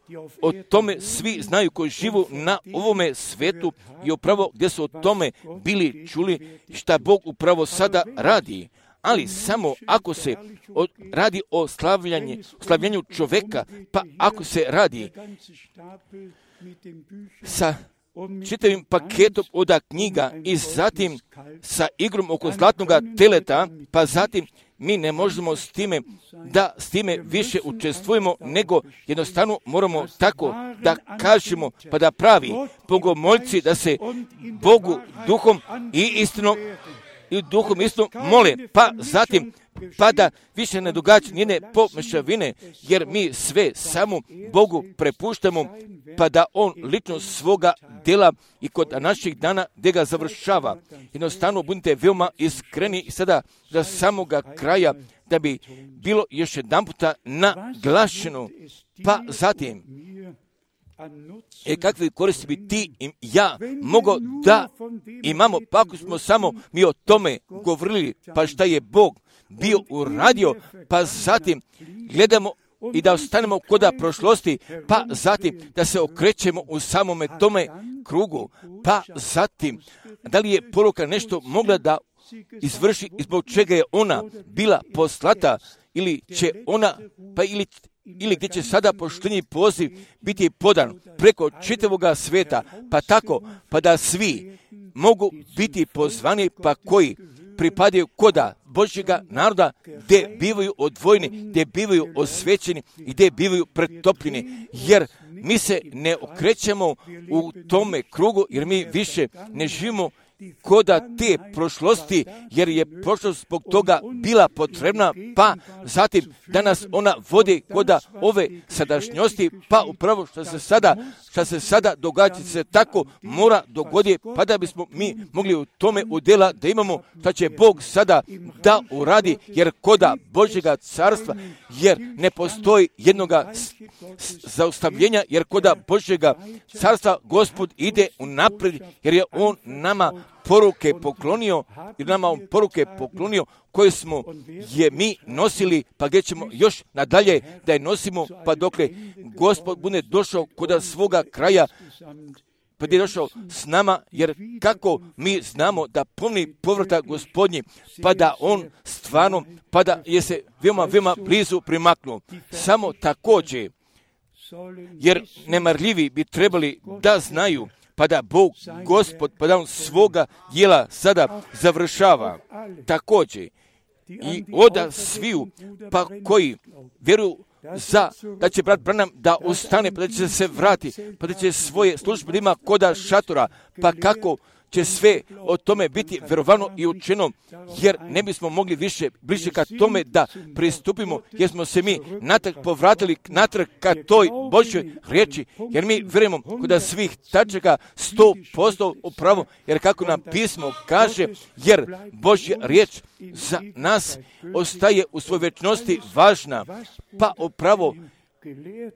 o tome svi znaju koji živu na ovome svetu i upravo gdje su o tome bili čuli šta Bog upravo sada radi. Ali samo ako se radi o slavljanju čovjeka, pa ako se radi sa čitavim paketom od knjiga i zatim sa igrom oko zlatnoga teleta, pa zatim mi ne možemo s time više učestvujemo, nego jednostavno moramo tako da kažemo, pa da pravi bogomoljci da se Bogu duhom i istinom mole, pa zatim pa da više ne događa njene pomešavine, jer mi sve samo Bogu prepuštamo, pa da On lično svoga dela i kod naših dana gdje ga završava. Jednostavno budite veoma iskreni i sada do samoga kraja, da bi bilo još jedan puta naglašeno, pa zatim kakve koristi bi ti i ja mogao da imamo, pa ako smo samo mi o tome govorili, pa šta je Bog bio uradio, pa zatim gledamo i da ostanemo koda prošlosti, pa zatim da se okrećemo u samome tome krugu, pa zatim da li je poruka nešto mogla da izvrši i zbog čega je ona bila poslata, ili će ona, pa ili gdje će sada poštenji poziv biti podan preko čitavoga sveta, pa tako, pa da svi mogu biti pozvani, pa koji pripadaju koda Božjega naroda, gdje bivaju odvojeni, gdje bivaju osvećeni i gdje bivaju pretopljeni, jer mi se ne okrećemo u tome krugu, jer mi više ne živimo koda te prošlosti, jer je prošlost zbog toga bila potrebna, pa zatim danas ona vodi koda ove sadašnjosti, pa upravo što se sada događa se tako mora dogoditi, pa da bismo mi mogli u tome udjela da imamo što će Bog sada da uradi, jer koda Božjega carstva, jer ne postoji jednoga zaustavljenja, jer koda Božjega carstva Gospod ide unaprijed, jer je On nama poruke poklonio, koje smo je mi nosili, pa gdje ćemo još nadalje da je nosimo, pa dokle Gospod bude došao kod svoga kraja, pa gdje je došao s nama, jer kako mi znamo da pomni povrata Gospodnji, pa da On stvarno, pa da je se veoma blizu primaknuo. Samo također, jer nemarljivi bi trebali da znaju, pa da Bog, Gospod, pa da On svoga djela sada završava. Također, i oda sviju, pa koji vjeruju da će brat Branham da ostane, pa da će se vrati, pa da će svoje službe ima koda šatora, pa kako će sve o tome biti vjerovano i učeno, jer ne bismo mogli bliže ka tome da pristupimo, jer smo se mi povratili natrag ka toj Božjoj riječi, jer mi vjerujemo kod svih tačaka 100% upravo, jer kako nam pismo kaže, jer Božja riječ za nas ostaje u svojoj vječnosti važna, pa upravo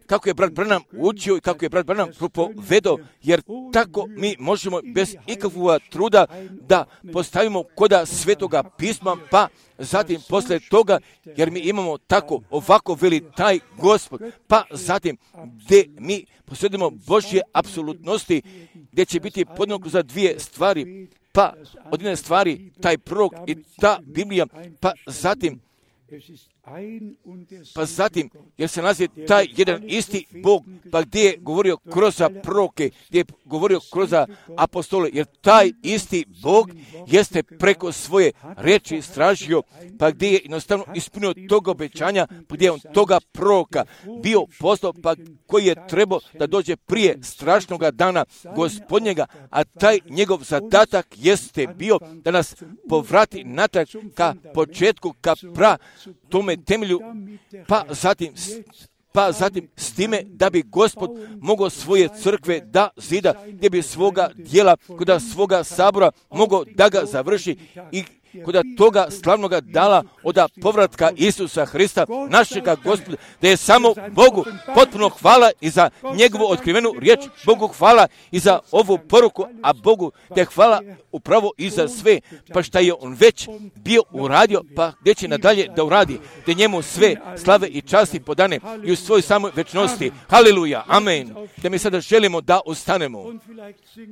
kako je brat Branham učio i kako je brat Branham propovedao, jer tako mi možemo bez ikakvog truda da postavimo koda svetoga pisma, pa zatim posle toga, jer mi imamo tako ovako veli taj Gospod, pa zatim gdje mi posjedimo Božje apsolutnosti, gdje će biti podjednako za dvije stvari, pa od jedne stvari taj prorok i ta Biblija, pa zatim, jer se nalazi taj jedan isti Bog, pa gdje je govorio kroz proroke, gdje je govorio kroz apostole, jer taj isti Bog jeste preko svoje riječi istražio, pa gdje je jednostavno ispunio toga obećanja, pa gdje je on toga proroka bio poslao, pa koji je trebao da dođe prije strašnoga dana Gospodnjega, a taj njegov zadatak jeste bio da nas povrati natrag ka početku, ka tome temelju, pa zatim s time da bi Gospod mogao svoje crkve da zida, gdje bi svoga djela, kod svoga sabora mogao da ga završi i kod toga slavnoga dala od povratka Isusa Hrista, našega Gospoda, da je samo Bogu potpuno hvala i za njegovu otkrivenu riječ, Bogu hvala i za ovu poruku, a Bogu te hvala upravo i za sve, pa šta je On već bio uradio, pa gdje će nadalje da uradi, da njemu sve slave i časti podane i u svojoj samoj večnosti. Haleluja, amen. Da mi sada želimo da ostanemo,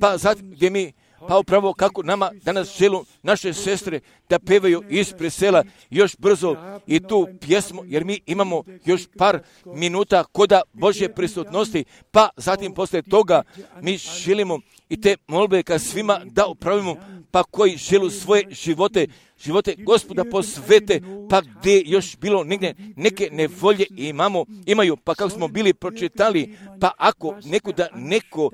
pa zatim gdje mi pa upravo kako nama danas želu naše sestre da pevaju ispred sela još brzo i tu pjesmu, jer mi imamo još par minuta koda Božje prisutnosti, pa zatim posle toga mi želimo i te molbe ka svima da upravimo, pa koji žele svoje živote Gospoda posvete, pa gdje još bilo negdje neke nevolje imaju, pa kako smo bili pročitali, pa ako neko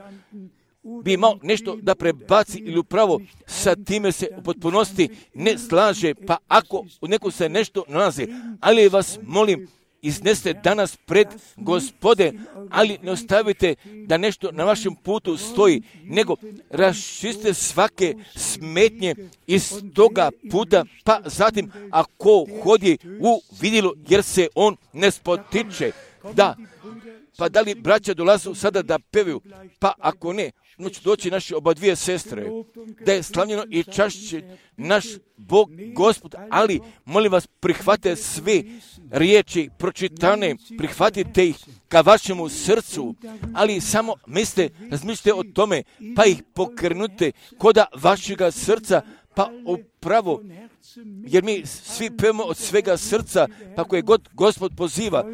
bi imao nešto da prebaci ili upravo sa time se u potpunosti ne slaže, pa ako u neku se nešto nalazi, ali vas molim, iznesite danas pred Gospode, ali ne ostavite da nešto na vašem putu stoji, nego raščistite svake smetnje iz toga puta, pa zatim ako hodi u vidilu, jer se on ne spotiče, pa da li braća dolazu sada da pevaju, pa ako ne, će doći naše oba dvije sestre, da je slavljeno i čašće naš Bog Gospod, ali molim vas, prihvate sve riječi pročitane, prihvatite ih ka vašemu srcu, ali samo razmišljate o tome, pa ih pokrenute koda vašega srca, pa upravo, jer mi svi pevamo od svega srca, pa koje god Gospod poziva,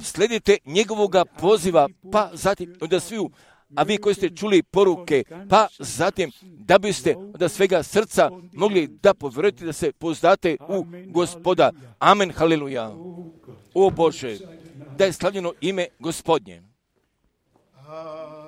sledite njegovoga poziva, pa zatim onda sviju, a vi koji ste čuli poruke, pa zatim da biste od svega srca mogli da povjerujete, da se pouzdate u Gospoda. Amen, haleluja. O Bože, da je slavljeno ime Gospodnje. Hallelujah.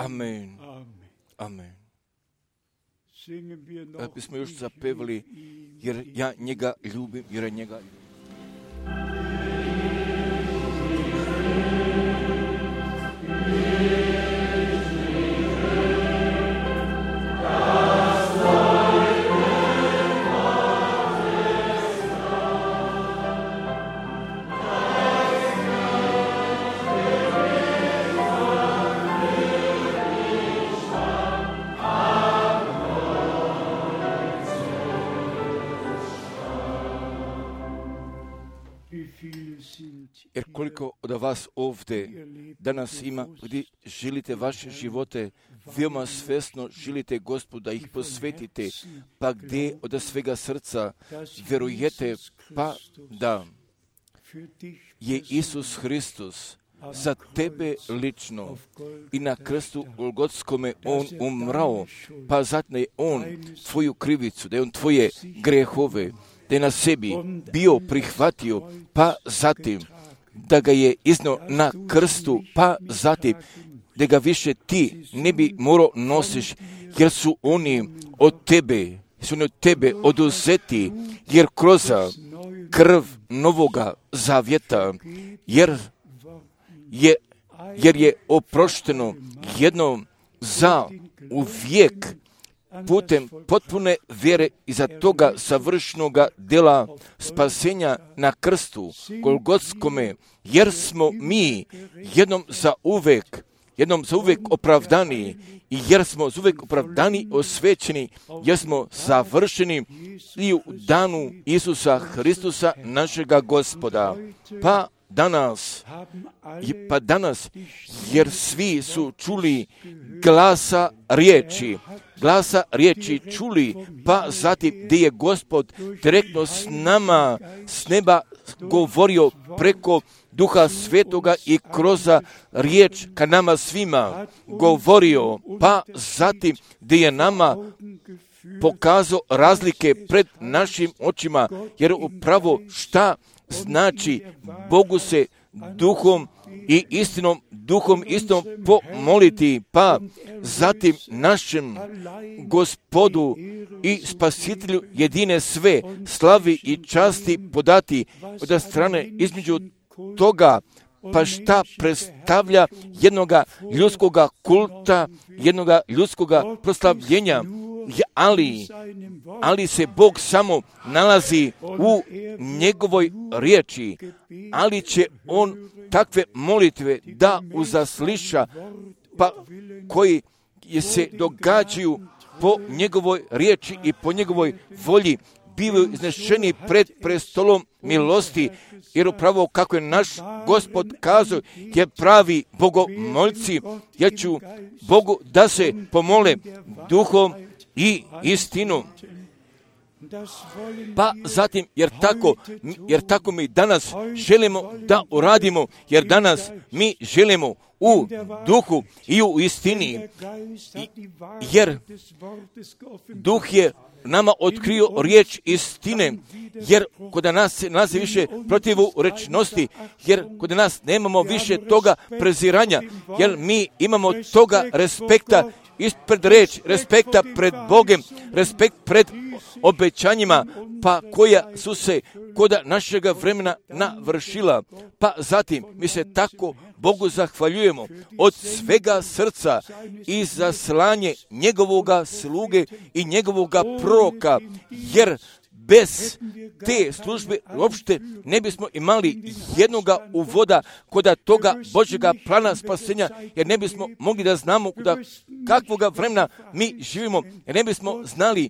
Amen. Amen. Da bismo još zapevali, jer ja njega ljubim, jer je njega ljubim. Jer koliko od vas ovdje danas ima, gdje želite vaše živote, veoma svjesno želite Gospoda, ih posvetite, pa gdje od svega srca vjerujete, pa da je Isus Hristos za tebe lično i na krstu Golgotskome on umrao, pa zatim je on tvoju krivicu, da je on tvoje grehove, da je na sebi bio prihvatio, pa zatim da ga je iznio na krstu, pa zatim da ga više ti ne bi morao nosiš, jer su oni od tebe oduzeti, jer kroz krv novoga zavjeta, jer je oprošteno jednom za uvijek putem potpune vjere iza toga savršenoga djela spasenja na krstu Golgotskome, jer smo mi jednom za uvijek opravdani i jer smo za uvijek opravdani, osvećeni, jer smo završeni i u danu Isusa Hristusa našega Gospoda. Pa danas, jer svi su čuli glasa riječi čuli, pa zatim gdje je Gospod direktno s nama, s neba govorio preko Duha Svetoga i kroz riječ ka nama svima govorio, pa zatim gdje je nama pokazao razlike pred našim očima, jer upravo šta znači Bogu se duhom i istinom, duhom istom pomoliti, pa zatim našem Gospodu i Spasitelju jedine sve slavi i časti podati od strane između toga, pa šta predstavlja jednoga ljudskoga kulta, jednoga ljudskoga proslavljenja, ali se Bog samo nalazi u njegovoj riječi, ali će on takve molitve da uzasliša, pa koji se događaju po njegovoj riječi i po njegovoj volji, bivaju iznešeni pred prestolom milosti, jer upravo kako je naš Gospod kazao, je pravi bogomolci, ja ću Bogu da se pomole duhom i istinom. Pa zatim, jer tako mi danas želimo da uradimo, jer danas mi želimo u duhu i u istini, jer duh je nama otkrio riječ istine, jer kod nas se nalazi više protivu rečnosti, jer kod nas nemamo više toga preziranja, jer mi imamo toga respekta ispred reč, respekta pred Bogem, respekt pred obećanjima, pa koja su se kod našega vremena navršila. Pa zatim mi se tako Bogu zahvaljujemo od svega srca i za slanje njegovoga sluge i njegovoga proroka, jer bez te službe uopšte ne bismo imali jednoga uvoda kod toga Božjega plana spasenja, jer ne bismo mogli da znamo kakvoga vremena mi živimo, jer ne bismo znali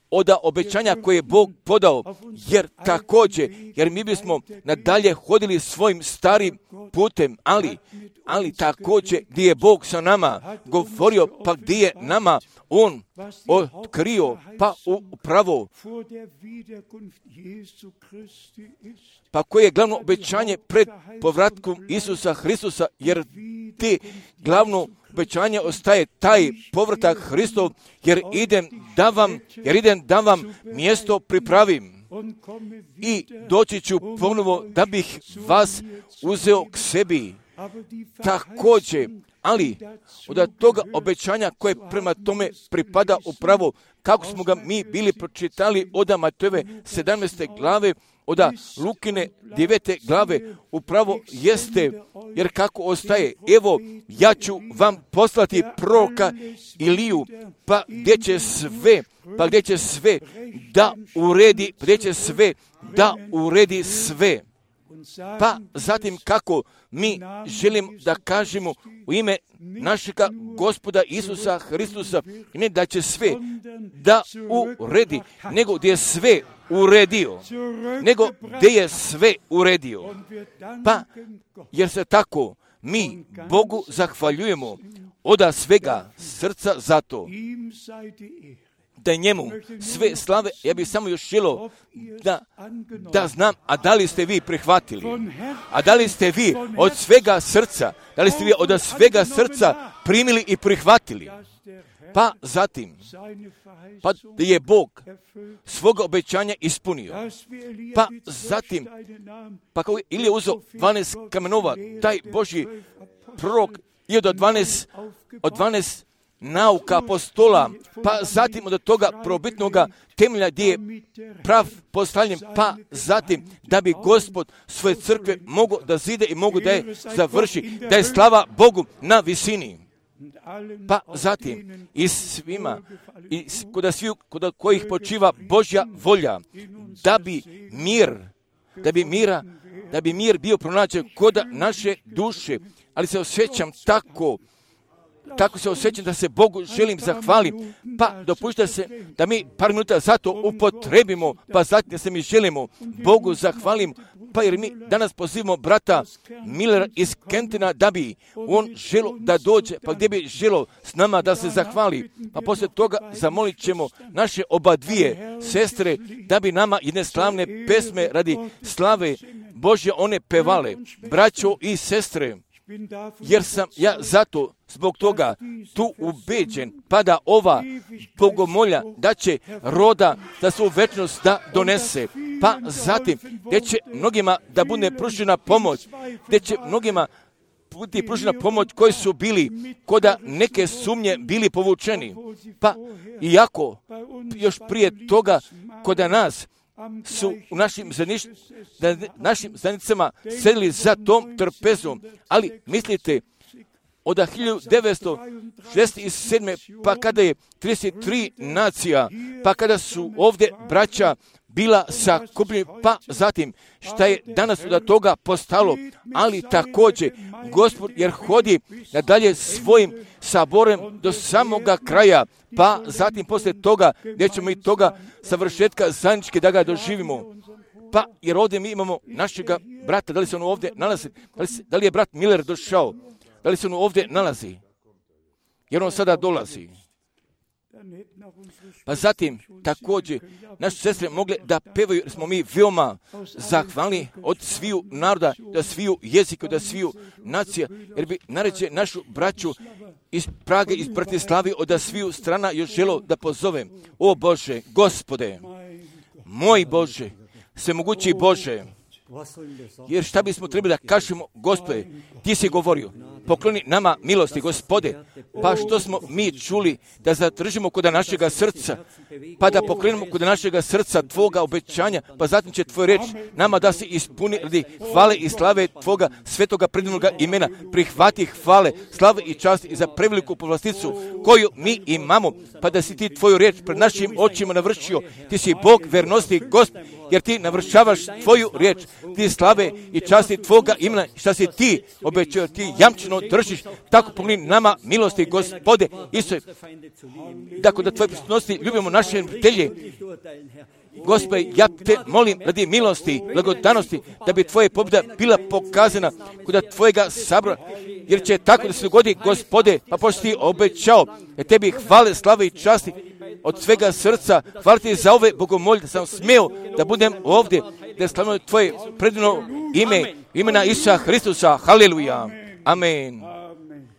od obećanja koje je Bog podao, jer mi bismo nadalje hodili svojim starim putem, ali također gdje je Bog sa nama govorio, pa gdje je nama on otkrio, pa upravo, pa koje je glavno obećanje pred povratkom Isusa Hristusa, jer te glavno obećanje ostaje taj povratak Hristov, jer idem da vam mjesto pripravim i doći ću ponovo da bih vas uzeo k sebi. Također, ali od toga obećanja koje prema tome pripada upravo kako smo ga mi bili pročitali od Matejove 17. glave, od Lukine 9. glave, upravo jeste, jer kako ostaje, evo, ja ću vam poslati proroka Iliju, pa gdje će sve da uredi sve. Pa zatim kako mi želimo da kažemo u ime našega Gospoda Isusa Hristusa, ne da će sve da uredi, nego gdje je sve uredio. Pa, jer se tako mi Bogu zahvaljujemo od svega srca za to. Da njemu sve slave, ja bih samo još želio da znam, a da li ste vi prihvatili? A da li ste vi od svega srca, primili i prihvatili? Pa zatim, pa je Bog svoga obećanja ispunio. Pa zatim, pa kao Ilija uzeo 12 kamenova, taj Božji prorok je od 12 nauka apostola, pa zatim od toga probitnoga temelja gdje je prav postavljen, pa zatim da bi Gospod svoje crkve mogo da zide i mogu da je završi, da je slava Bogu na visini. Pa zatim i svima, i kod kojih počiva Božja volja, da bi mir bio pronađen kod naše duše, ali se osjećam tako se osjećam da se Bogu želim zahvalim, pa dopušta se da mi par minuta zato upotrebimo, pa zatim da se mi želimo Bogu zahvalim, pa jer mi danas pozivamo brata Millera iz Kentina da bi on želo da dođe, pa gdje bi želo s nama da se zahvali, pa poslije toga zamolit ćemo naše oba dvije sestre da bi nama jedne slavne pesme radi slave Božje one pevale, braćo i sestre. Jer sam ja zato zbog toga tu ubeđen, pa da ova bogomolja da će roda da se u večnost da donese, pa zatim gdje će mnogima da bude pružena pomoć, gdje će mnogima biti pružena pomoć koji su bili koda neke sumnje bili povučeni, pa iako još prije toga koda nas su u našim zajednicama sedili za tom trpezom, ali mislite, od 1967. pa kada je 33 nacija, pa kada su ovdje braća bila sakupljeni, pa zatim šta je danas od toga postalo, ali također Gospod jer hodi nadalje svojim saborem do samoga kraja, pa zatim poslije toga gdje ćemo i toga savršetka zajednički da ga doživimo. Pa jer ovdje mi imamo našega brata, da li se on ovdje nalazi, da li je brat Miller došao, da li se on ovdje nalazi, jer on sada dolazi. Pa zatim također naše sestre mogle da pevaju, jer smo mi veoma zahvalni od sviju naroda, da sviju jezika, da sviju nacija, jer bi naređe našu braću iz Prage, iz Bratislavi, od sviju strana još želo da pozovem. O Bože, Gospode, moj Bože, svemogući Bože, jer šta bismo trebali da kažemo, Gospode, ti si govorio, pokloni nama milosti, Gospode, pa što smo mi čuli da zadržimo kod našega srca, pa da pokrenemo kod našega srca Tvoga obećanja, pa zatim će Tvoj reč nama da se ispuni radi hvale i slave Tvoga svetoga predivnoga imena. Prihvati hvale, slave i čast i za preveliku povlasticu koju mi imamo, pa da si ti Tvoju reč pred našim očima navršio. Ti si Bog vernosti, Gospod, jer ti navršavaš Tvoju riječ, ti slave i časti Tvoga imena, šta si ti obećao, ti jamčeno držiš, tako pokloni nama milosti, Gospode, Isuse, tako da Tvoje prisutnosti ljubimo naše prijatelje. Gospode, ja te molim radi milosti, blagodanosti, da bi Tvoje pobjeda bila pokazana kod Tvojega sabora, jer će tako da se dogodi, Gospode, pa pošto ti obećao, jer tebi hvale, slave i časti od svega srca, hvala ti za ove bogomolje, da sam smeo da budem ovdje, da slavimo Tvoje predivno ime, imena Isusa Hristusa, haleluja, amen,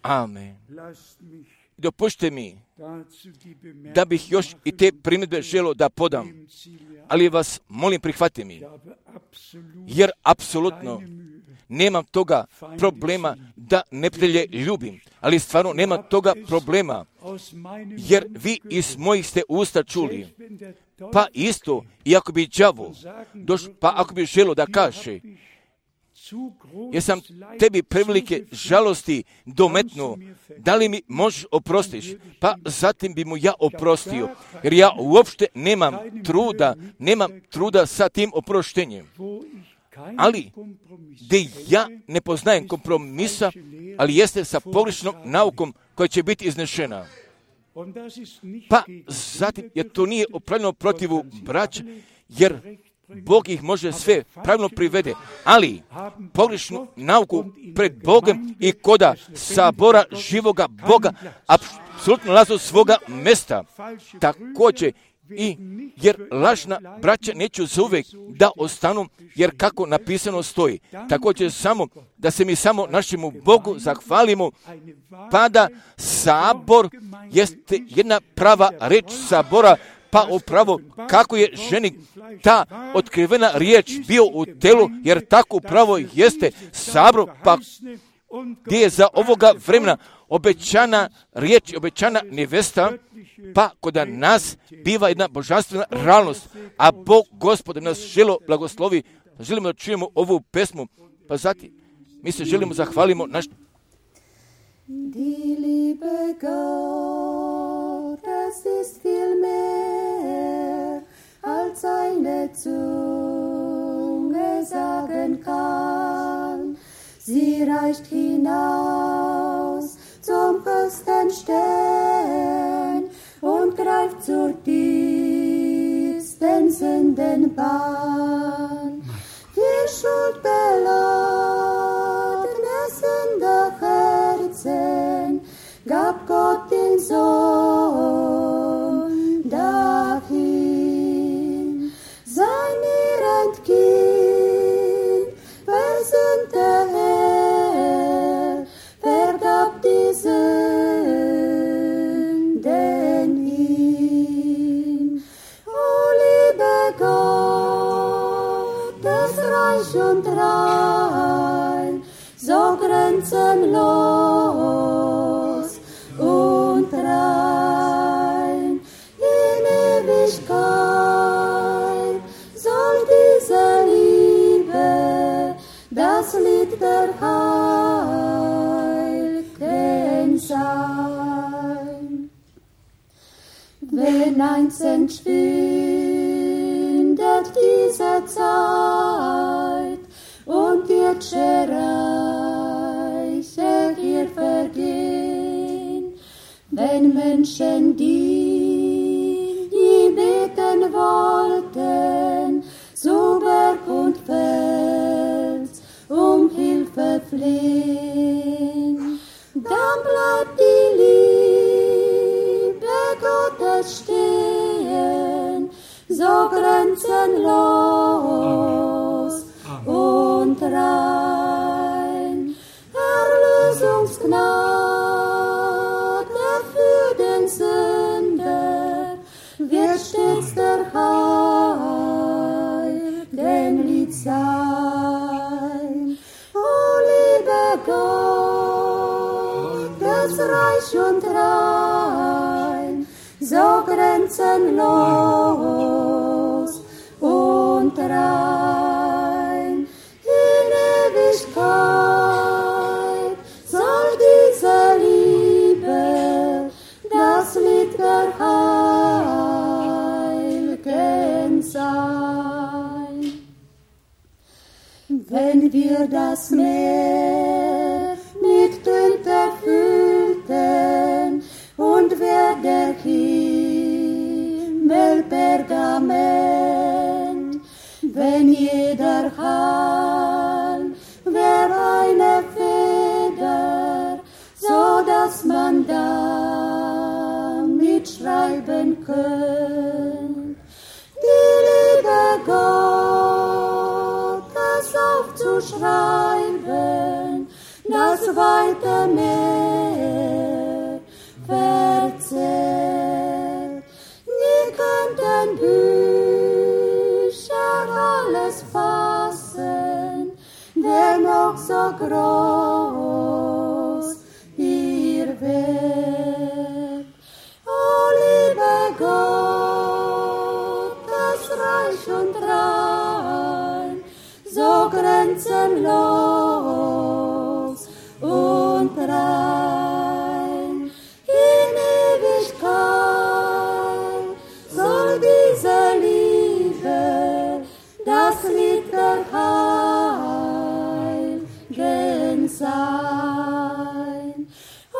amen. Dopušte mi da bih još i te primjedbe želio da podam, ali vas molim prihvati mi, jer apsolutno nemam toga problema da neprijatelje ljubim, ali stvarno nema toga problema, jer vi iz mojih ste usta čuli. Pa isto, iako bi đavo, pa ako bi želo da kaže, jer sam tebi prevelike žalosti dometnuo, da li mi možeš oprostiš? Pa zatim bi mu ja oprostio, jer ja uopšte nemam truda sa tim oproštenjem. Ali, gdje ja ne poznajem kompromisa, ali jeste sa pogrešnom naukom koja će biti iznešena. Pa zatim, jer to nije opravljeno protivu braća, jer Bog ih može sve pravilno privede, ali pogrešnu nauku pred Bogom i koda sabora živoga Boga apsolutno lazu svoga mesta. Također, jer lažna braća neću zauvijek da ostanu, jer kako napisano stoji. Također samo da se mi samo našemu Bogu zahvalimo, pa da sabor jeste jedna prava reč sabora, pa upravo kako je ženi ta otkrivena riječ bio u telu, jer tako upravo jeste sabor, pa gdje je za ovoga vremena obećana riječ, obećana nevesta, pa kod nas biva jedna božanstvena realnost, a Bog Gospod nas želo blagoslovi, želimo da čujemo ovu pesmu, pa zatim mi se želimo zahvalimo naš... Die Liebe Gottes ist viel mehr, als eine Zunge sagen kann. Sie reicht hinaus zum höchsten Stern und greift zur tiefsten Sündenbahn. Die Schuld beladene Sünderherzen gab Gott den Sohn dahin. Sein Kind, versöhnte Herr, vergab die Sünden ihm. O liebe Gott, das Reich und rein, so grenzenlos und rein. In Ewigkeit soll diese Liebe das Lied der Heiligen sein. Wenn einst entschwindet diese Zeit und die Reiche hier vergehen, wenn Menschen, die nie beten wollten, zu Berg und Fels um Hilfe flehen, dann bleibt die Liebe Gottes stehen, so grenzenlos und rein. Erlösungsgnade für den Sünder wird stets der Heiligen Lied sein. O liebe Gott, das Reich und rein, so grenzenlos und rein. In Ewigkeit soll diese Liebe das Lied der Heiligen sein. Wenn wir das Meer mit Tinte füllten und wer der Himmel Pergament, wenn jeder Hahn wär eine Feder, so dass man damit schreiben könnt. Die Liebe Gottes aufzuschreiben, das weite Meer verzehrt. Nie könnten Bücher alles fassen, dennoch doch so groß ihr Werk. O lieber Gott, das reich und rein, so grenzenlos und rein. In Ewigkeit soll diese Liebe das Lied der Heiligen sein. O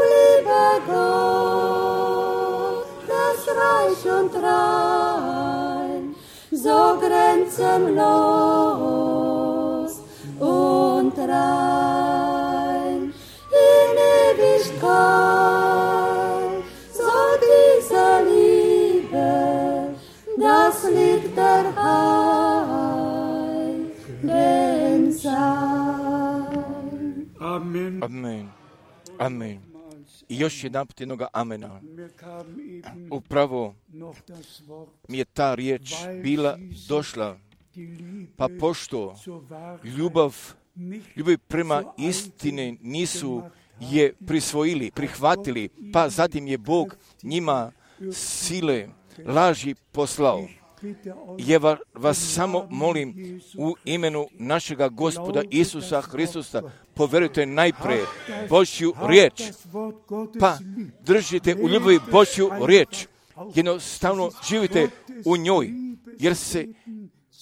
lieber Gott, das reich und rein, so grenzenlos und rein. In Ewigkeit soll diese Liebe das Lied der Heiligen sein. Amen. Amen. Amen. I još jedan put jednoga amena. Upravo mi je ta riječ bila došla, pa pošto ljubav prema istine nisu je prisvojili, prihvatili, pa zatim je Bog njima sile laži poslao. Ja vas samo molim u imenu našega Gospoda Isusa Hristusa, poverujte najprije Božju riječ, pa držite u ljubavi Božju riječ, jednostavno živite u njoj, jer se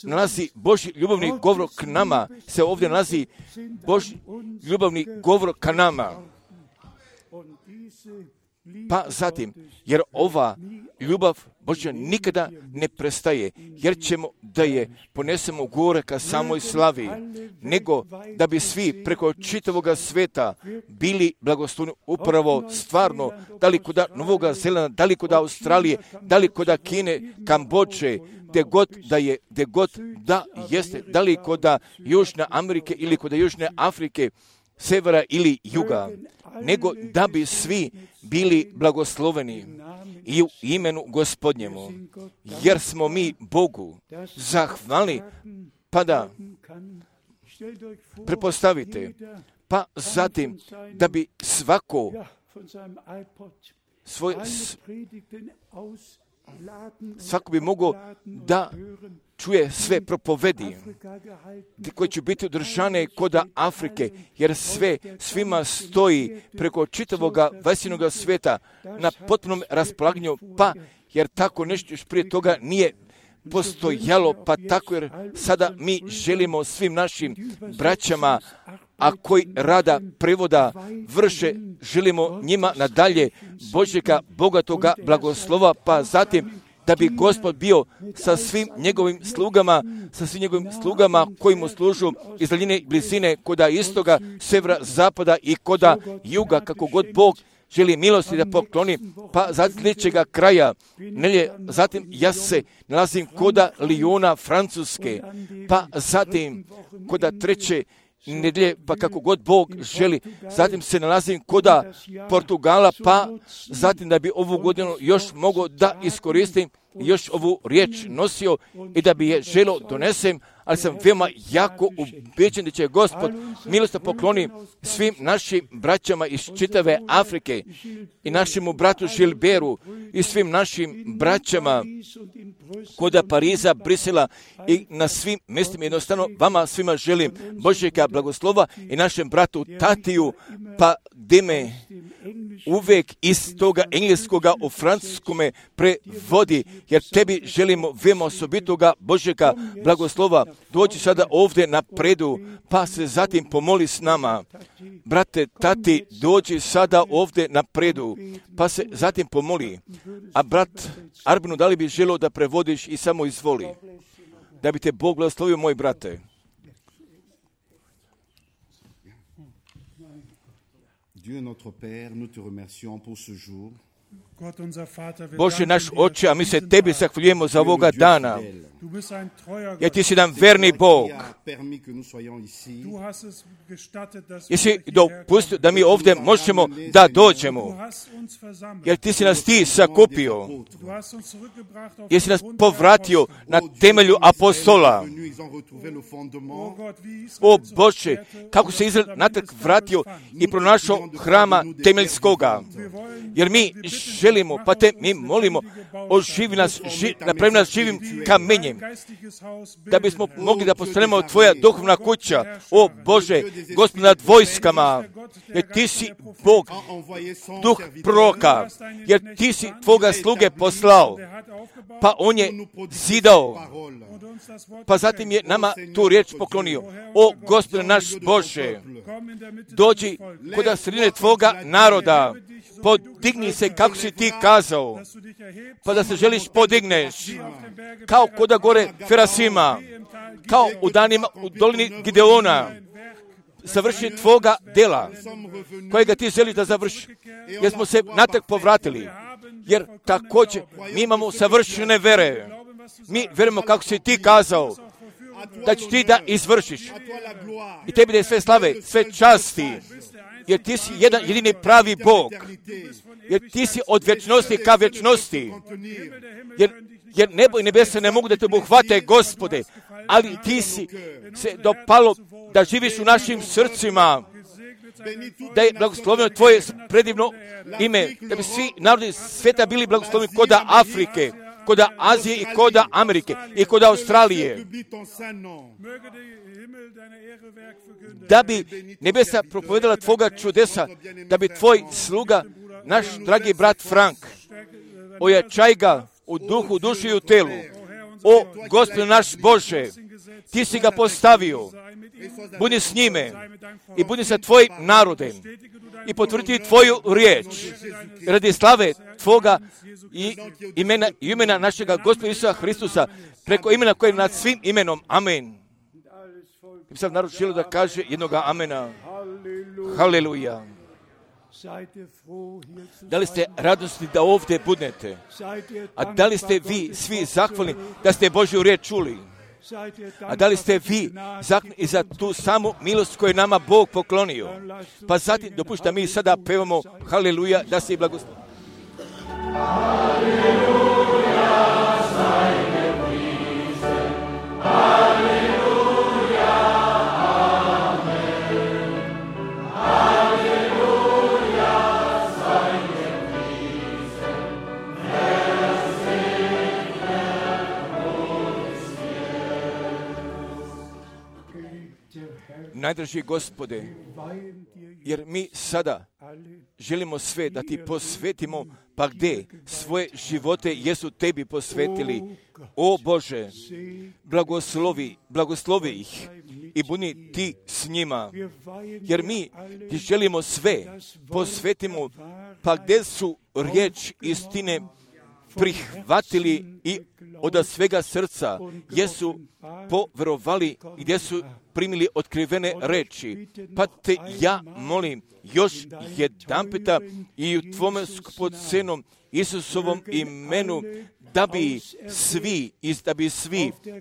nalazi Božji ljubavni govor k nama, se ovdje nalazi Božji ljubavni govor ka nama. Pa zatim, jer ova ljubav Božja nikada ne prestaje, jer ćemo da je ponesemo gore ka samoj slavi, nego da bi svi preko čitavoga sveta bili blagoslovni upravo stvarno, da li kod Novoga Zelanda, da li kod Australije, da li kod Kine, Kambodže, gdje god da jeste, da li kod Južne Amerike ili kod Južne Afrike, severa ili juga, nego da bi svi bili blagosloveni i u imenu Gospodnjemu, jer smo mi Bogu zahvalni, pa da prepostavite, pa zatim da bi svako svako bi mogao da čuje sve propovedi koje će biti održane kod Afrike, jer svima stoji preko čitavoga vajsinoga sveta na potpunom raspolaganju, pa jer tako nešto još prije toga nije postojalo, pa tako jer sada mi želimo svim našim braćama, a koji rada prevoda vrše, želimo njima nadalje Božjega bogatoga blagoslova, pa zatim da bi Gospod bio sa svim njegovim slugama koji mu služu iz daljine i blizine, koda istoga, severa, zapada i koda juga, kako god Bog želi milosti da pokloni, pa zatim sljedećega kraja nelje, zatim ja se nalazim koda Lijona, Francuske, pa zatim koda treće nedjelje, pa kako god Bog želi, zatim se nalazim koda Portugala, pa zatim da bi ovu godinu još mogao da iskoristim, još ovu riječ nosio i da bi je želo donesem, ali sam veoma jako ubeđen da će Gospod milost pokloni svim našim braćama iz čitave Afrike i našemu bratu Žilberu i svim našim braćama koda Pariza, Brisela i na svim mjestima. Jednostavno vama svima želim Božjega blagoslova i našem bratu Tatiju, pa gdje me uvijek iz toga engleskoga u francuskome prevodi, jer tebi želimo veoma osobitoga Božjega blagoslova. Dođi sada ovdje napredu, pa se zatim pomoli s nama. Brate, Tati, dođi sada ovdje napredu, pa se zatim pomoli. A brat Arbinu, da li bi želio da prevodiš i samo izvoli? Da bi te Bog blagoslovio, moj brate. Dieu notre Père, nous te remercions pour ce jour. Bože naš Oče, a mi se Tebi zahvaljujemo za ovoga dana, jer Ti si nam verni Bog. Jesi dopustio da mi ovdje možemo da dođemo, jer Ti si nas Ti sakupio, jesi nas povratio na temelju apostola. O Bože, kako se Izrael natrag vratio i pronašao hrama temeljskoga, jer mi želimo, pa Te mi molimo, oživi nas, napravi nas živim kamenjem, da bismo mogli da postanemo Tvoja duhovna kuća. O Bože, Gospod nad vojskama, jer Ti si Bog, duh proroka, jer Ti si Tvoga sluge poslao, pa on je zidao, pa zatim je nama tu riječ poklonio. O Gospode naš Bože, dođi kod sredine Tvoga naroda, podigni se kako si Ti kazao, pa da se želiš podigneš, kao kod gore Ferasima, kao u danima u dolini Gideona, završi Tvoga dela, kojega Ti želiš da završi, jer smo se natrag povratili, jer također mi imamo savršene vere. Mi verujemo kako si Ti kazao, da ćeš Ti da izvršiš. I Tebi da je sve slave, sve časti, jer Ti si jedan jedini pravi Bog, jer Ti si od vječnosti ka vječnosti, jer nebo i nebesa ne mogu da Te obuhvate, Gospode, ali Ti si se dopalo da živiš u našim srcima, da je blagosloveno Tvoje predivno ime, da bi svi narodi svijeta bili blagosloveni koda Afrike, koda Azije i koda Amerike i koda Australije, da bi nebesa propovedala Tvoga čudesa, da bi Tvoj sluga, naš dragi brat Frank, ojačaj ga u duhu, duši i u telu. O Gospod naš Bože, Ti si ga postavio, budi s njime i budi sa Tvojim narodem i potvrdi Tvoju riječ radi slave Tvoga i imena našega Gospoda Isusa Hristusa, preko imena koje je nad svim imenom. Amen. I sad narod želi da kaže jednoga amena. Haleluja. Da li ste radosni da ovdje budete? A da li ste vi svi zahvalni da ste Božju riječ čuli? A da li ste vi zahvalni i za tu samu milost koju je nama Bog poklonio? Pa zatim dopušta mi sada pevamo haleluja, da se i blagoslovi. Haleluja, staj gepriesen, haleluja, amen. Haleluja, staj gepriesen, Herr segne uns jetzt. Najdraži Gospode, jer mi sada želimo sve da Ti posvetimo, pa gdje svoje živote jesu Tebi posvetili. O Bože, blagoslovi ih i budi Ti s njima, jer mi Ti želimo sve posvetimo, pa gdje su riječ istine prihvatili i od svega srca jesu poverovali, gdje su primili otkrivene reči. Pa Te ja molim još jedanputa i u Tvome skupocenom Isusovom imenu, da bi svi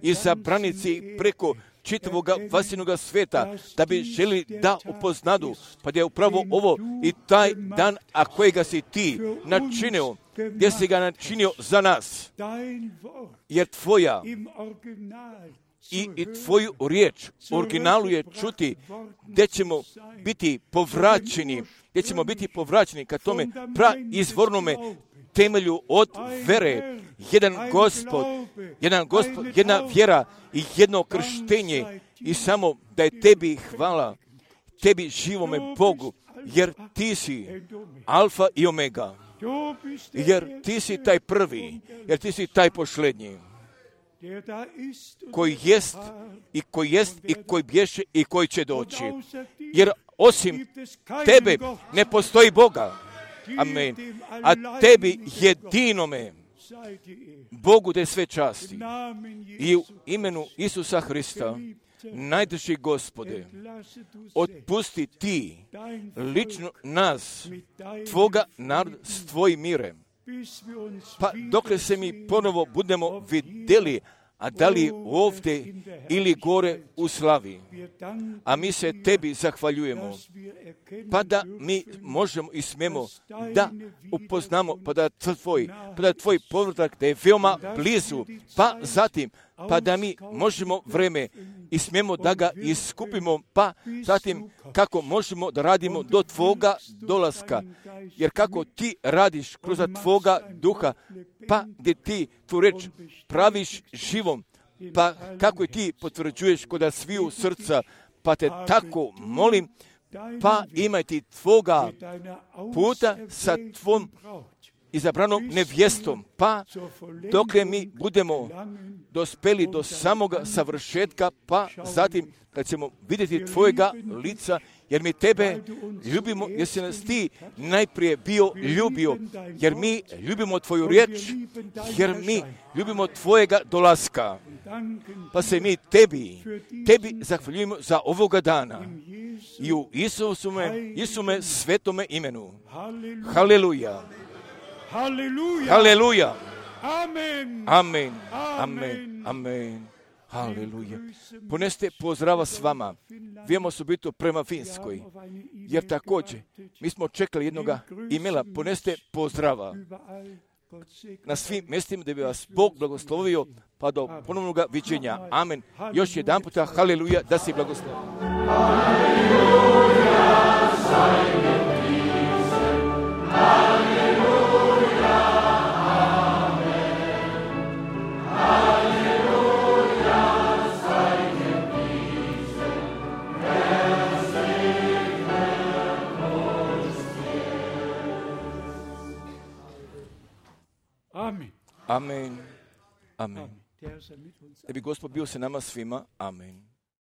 izabranici preko čitavog vasilnog svijeta, da bi želi da upoznadu, pa da je upravo ovo i taj dan, a kojega si Ti načinio, gdje si ga načinio za nas, jer Tvoja i Tvoju riječ u originalu je čuti, gdje ćemo biti povraćeni ka tome praizvornome temelju od vere, jedan gospod, jedna vjera i jedno krštenje, i samo da je Tebi hvala, Tebi živome Bogu, jer Ti si alfa i omega, jer Ti si taj prvi, jer Ti si taj posljednji, koji jest i koji bješe i koji će doći, jer osim Tebe ne postoji Boga. Amen. A Tebi jedinome Bogu da sve časti. I u imenu Isusa Hrista, najdrži Gospode, otpusti Ti lično nas, Tvoga naroda s Tvojim mirem. pa dokle se mi ponovo budemo vidjeli, a da li ovdje ili gore u slavi. A mi se tebi zahvaljujemo, pa da mi možemo i smemo da upoznamo, pa da tvoj povratak da je veoma blizu, pa zatim, pa da mi možemo vreme i smemo da ga iskupimo, pa zatim kako možemo da radimo do tvoga dolaska. Jer kako ti radiš kroz tvoga duha, pa gdje ti tu reč praviš živom, pa kako i ti potvrđuješ kod sviju srca, pa te tako molim, pa imaj ti tvoga puta sa tvom izabranom nevjestom, pa dokle mi budemo dospeli do samoga savršetka, pa zatim kad ćemo vidjeti tvojega lica, jer mi tebe ljubimo, jer si nas ti najprije bio ljubio, jer mi ljubimo tvoju riječ, jer mi ljubimo tvojega dolaska. Pa se mi tebi zahvaljujemo za ovoga dana. I u Isume svetome imenu. Haleluja. Haleluja. Amen. Amen. Amen. Amen. Haleluja. Poneste pozdrava s vama. Vijemo osobito prema Finskoj. Jer također, mi smo čekali jednoga imela. Poneste pozdrava na svim mjestima da bi vas Bog blagoslovio, pa do ponovnog viđenja. Amen. Još jedan puta, haleluja, da si blagoslovio. Haleluja, Amen. Amen. Da bi Gospod bio sa nama svima. Amen.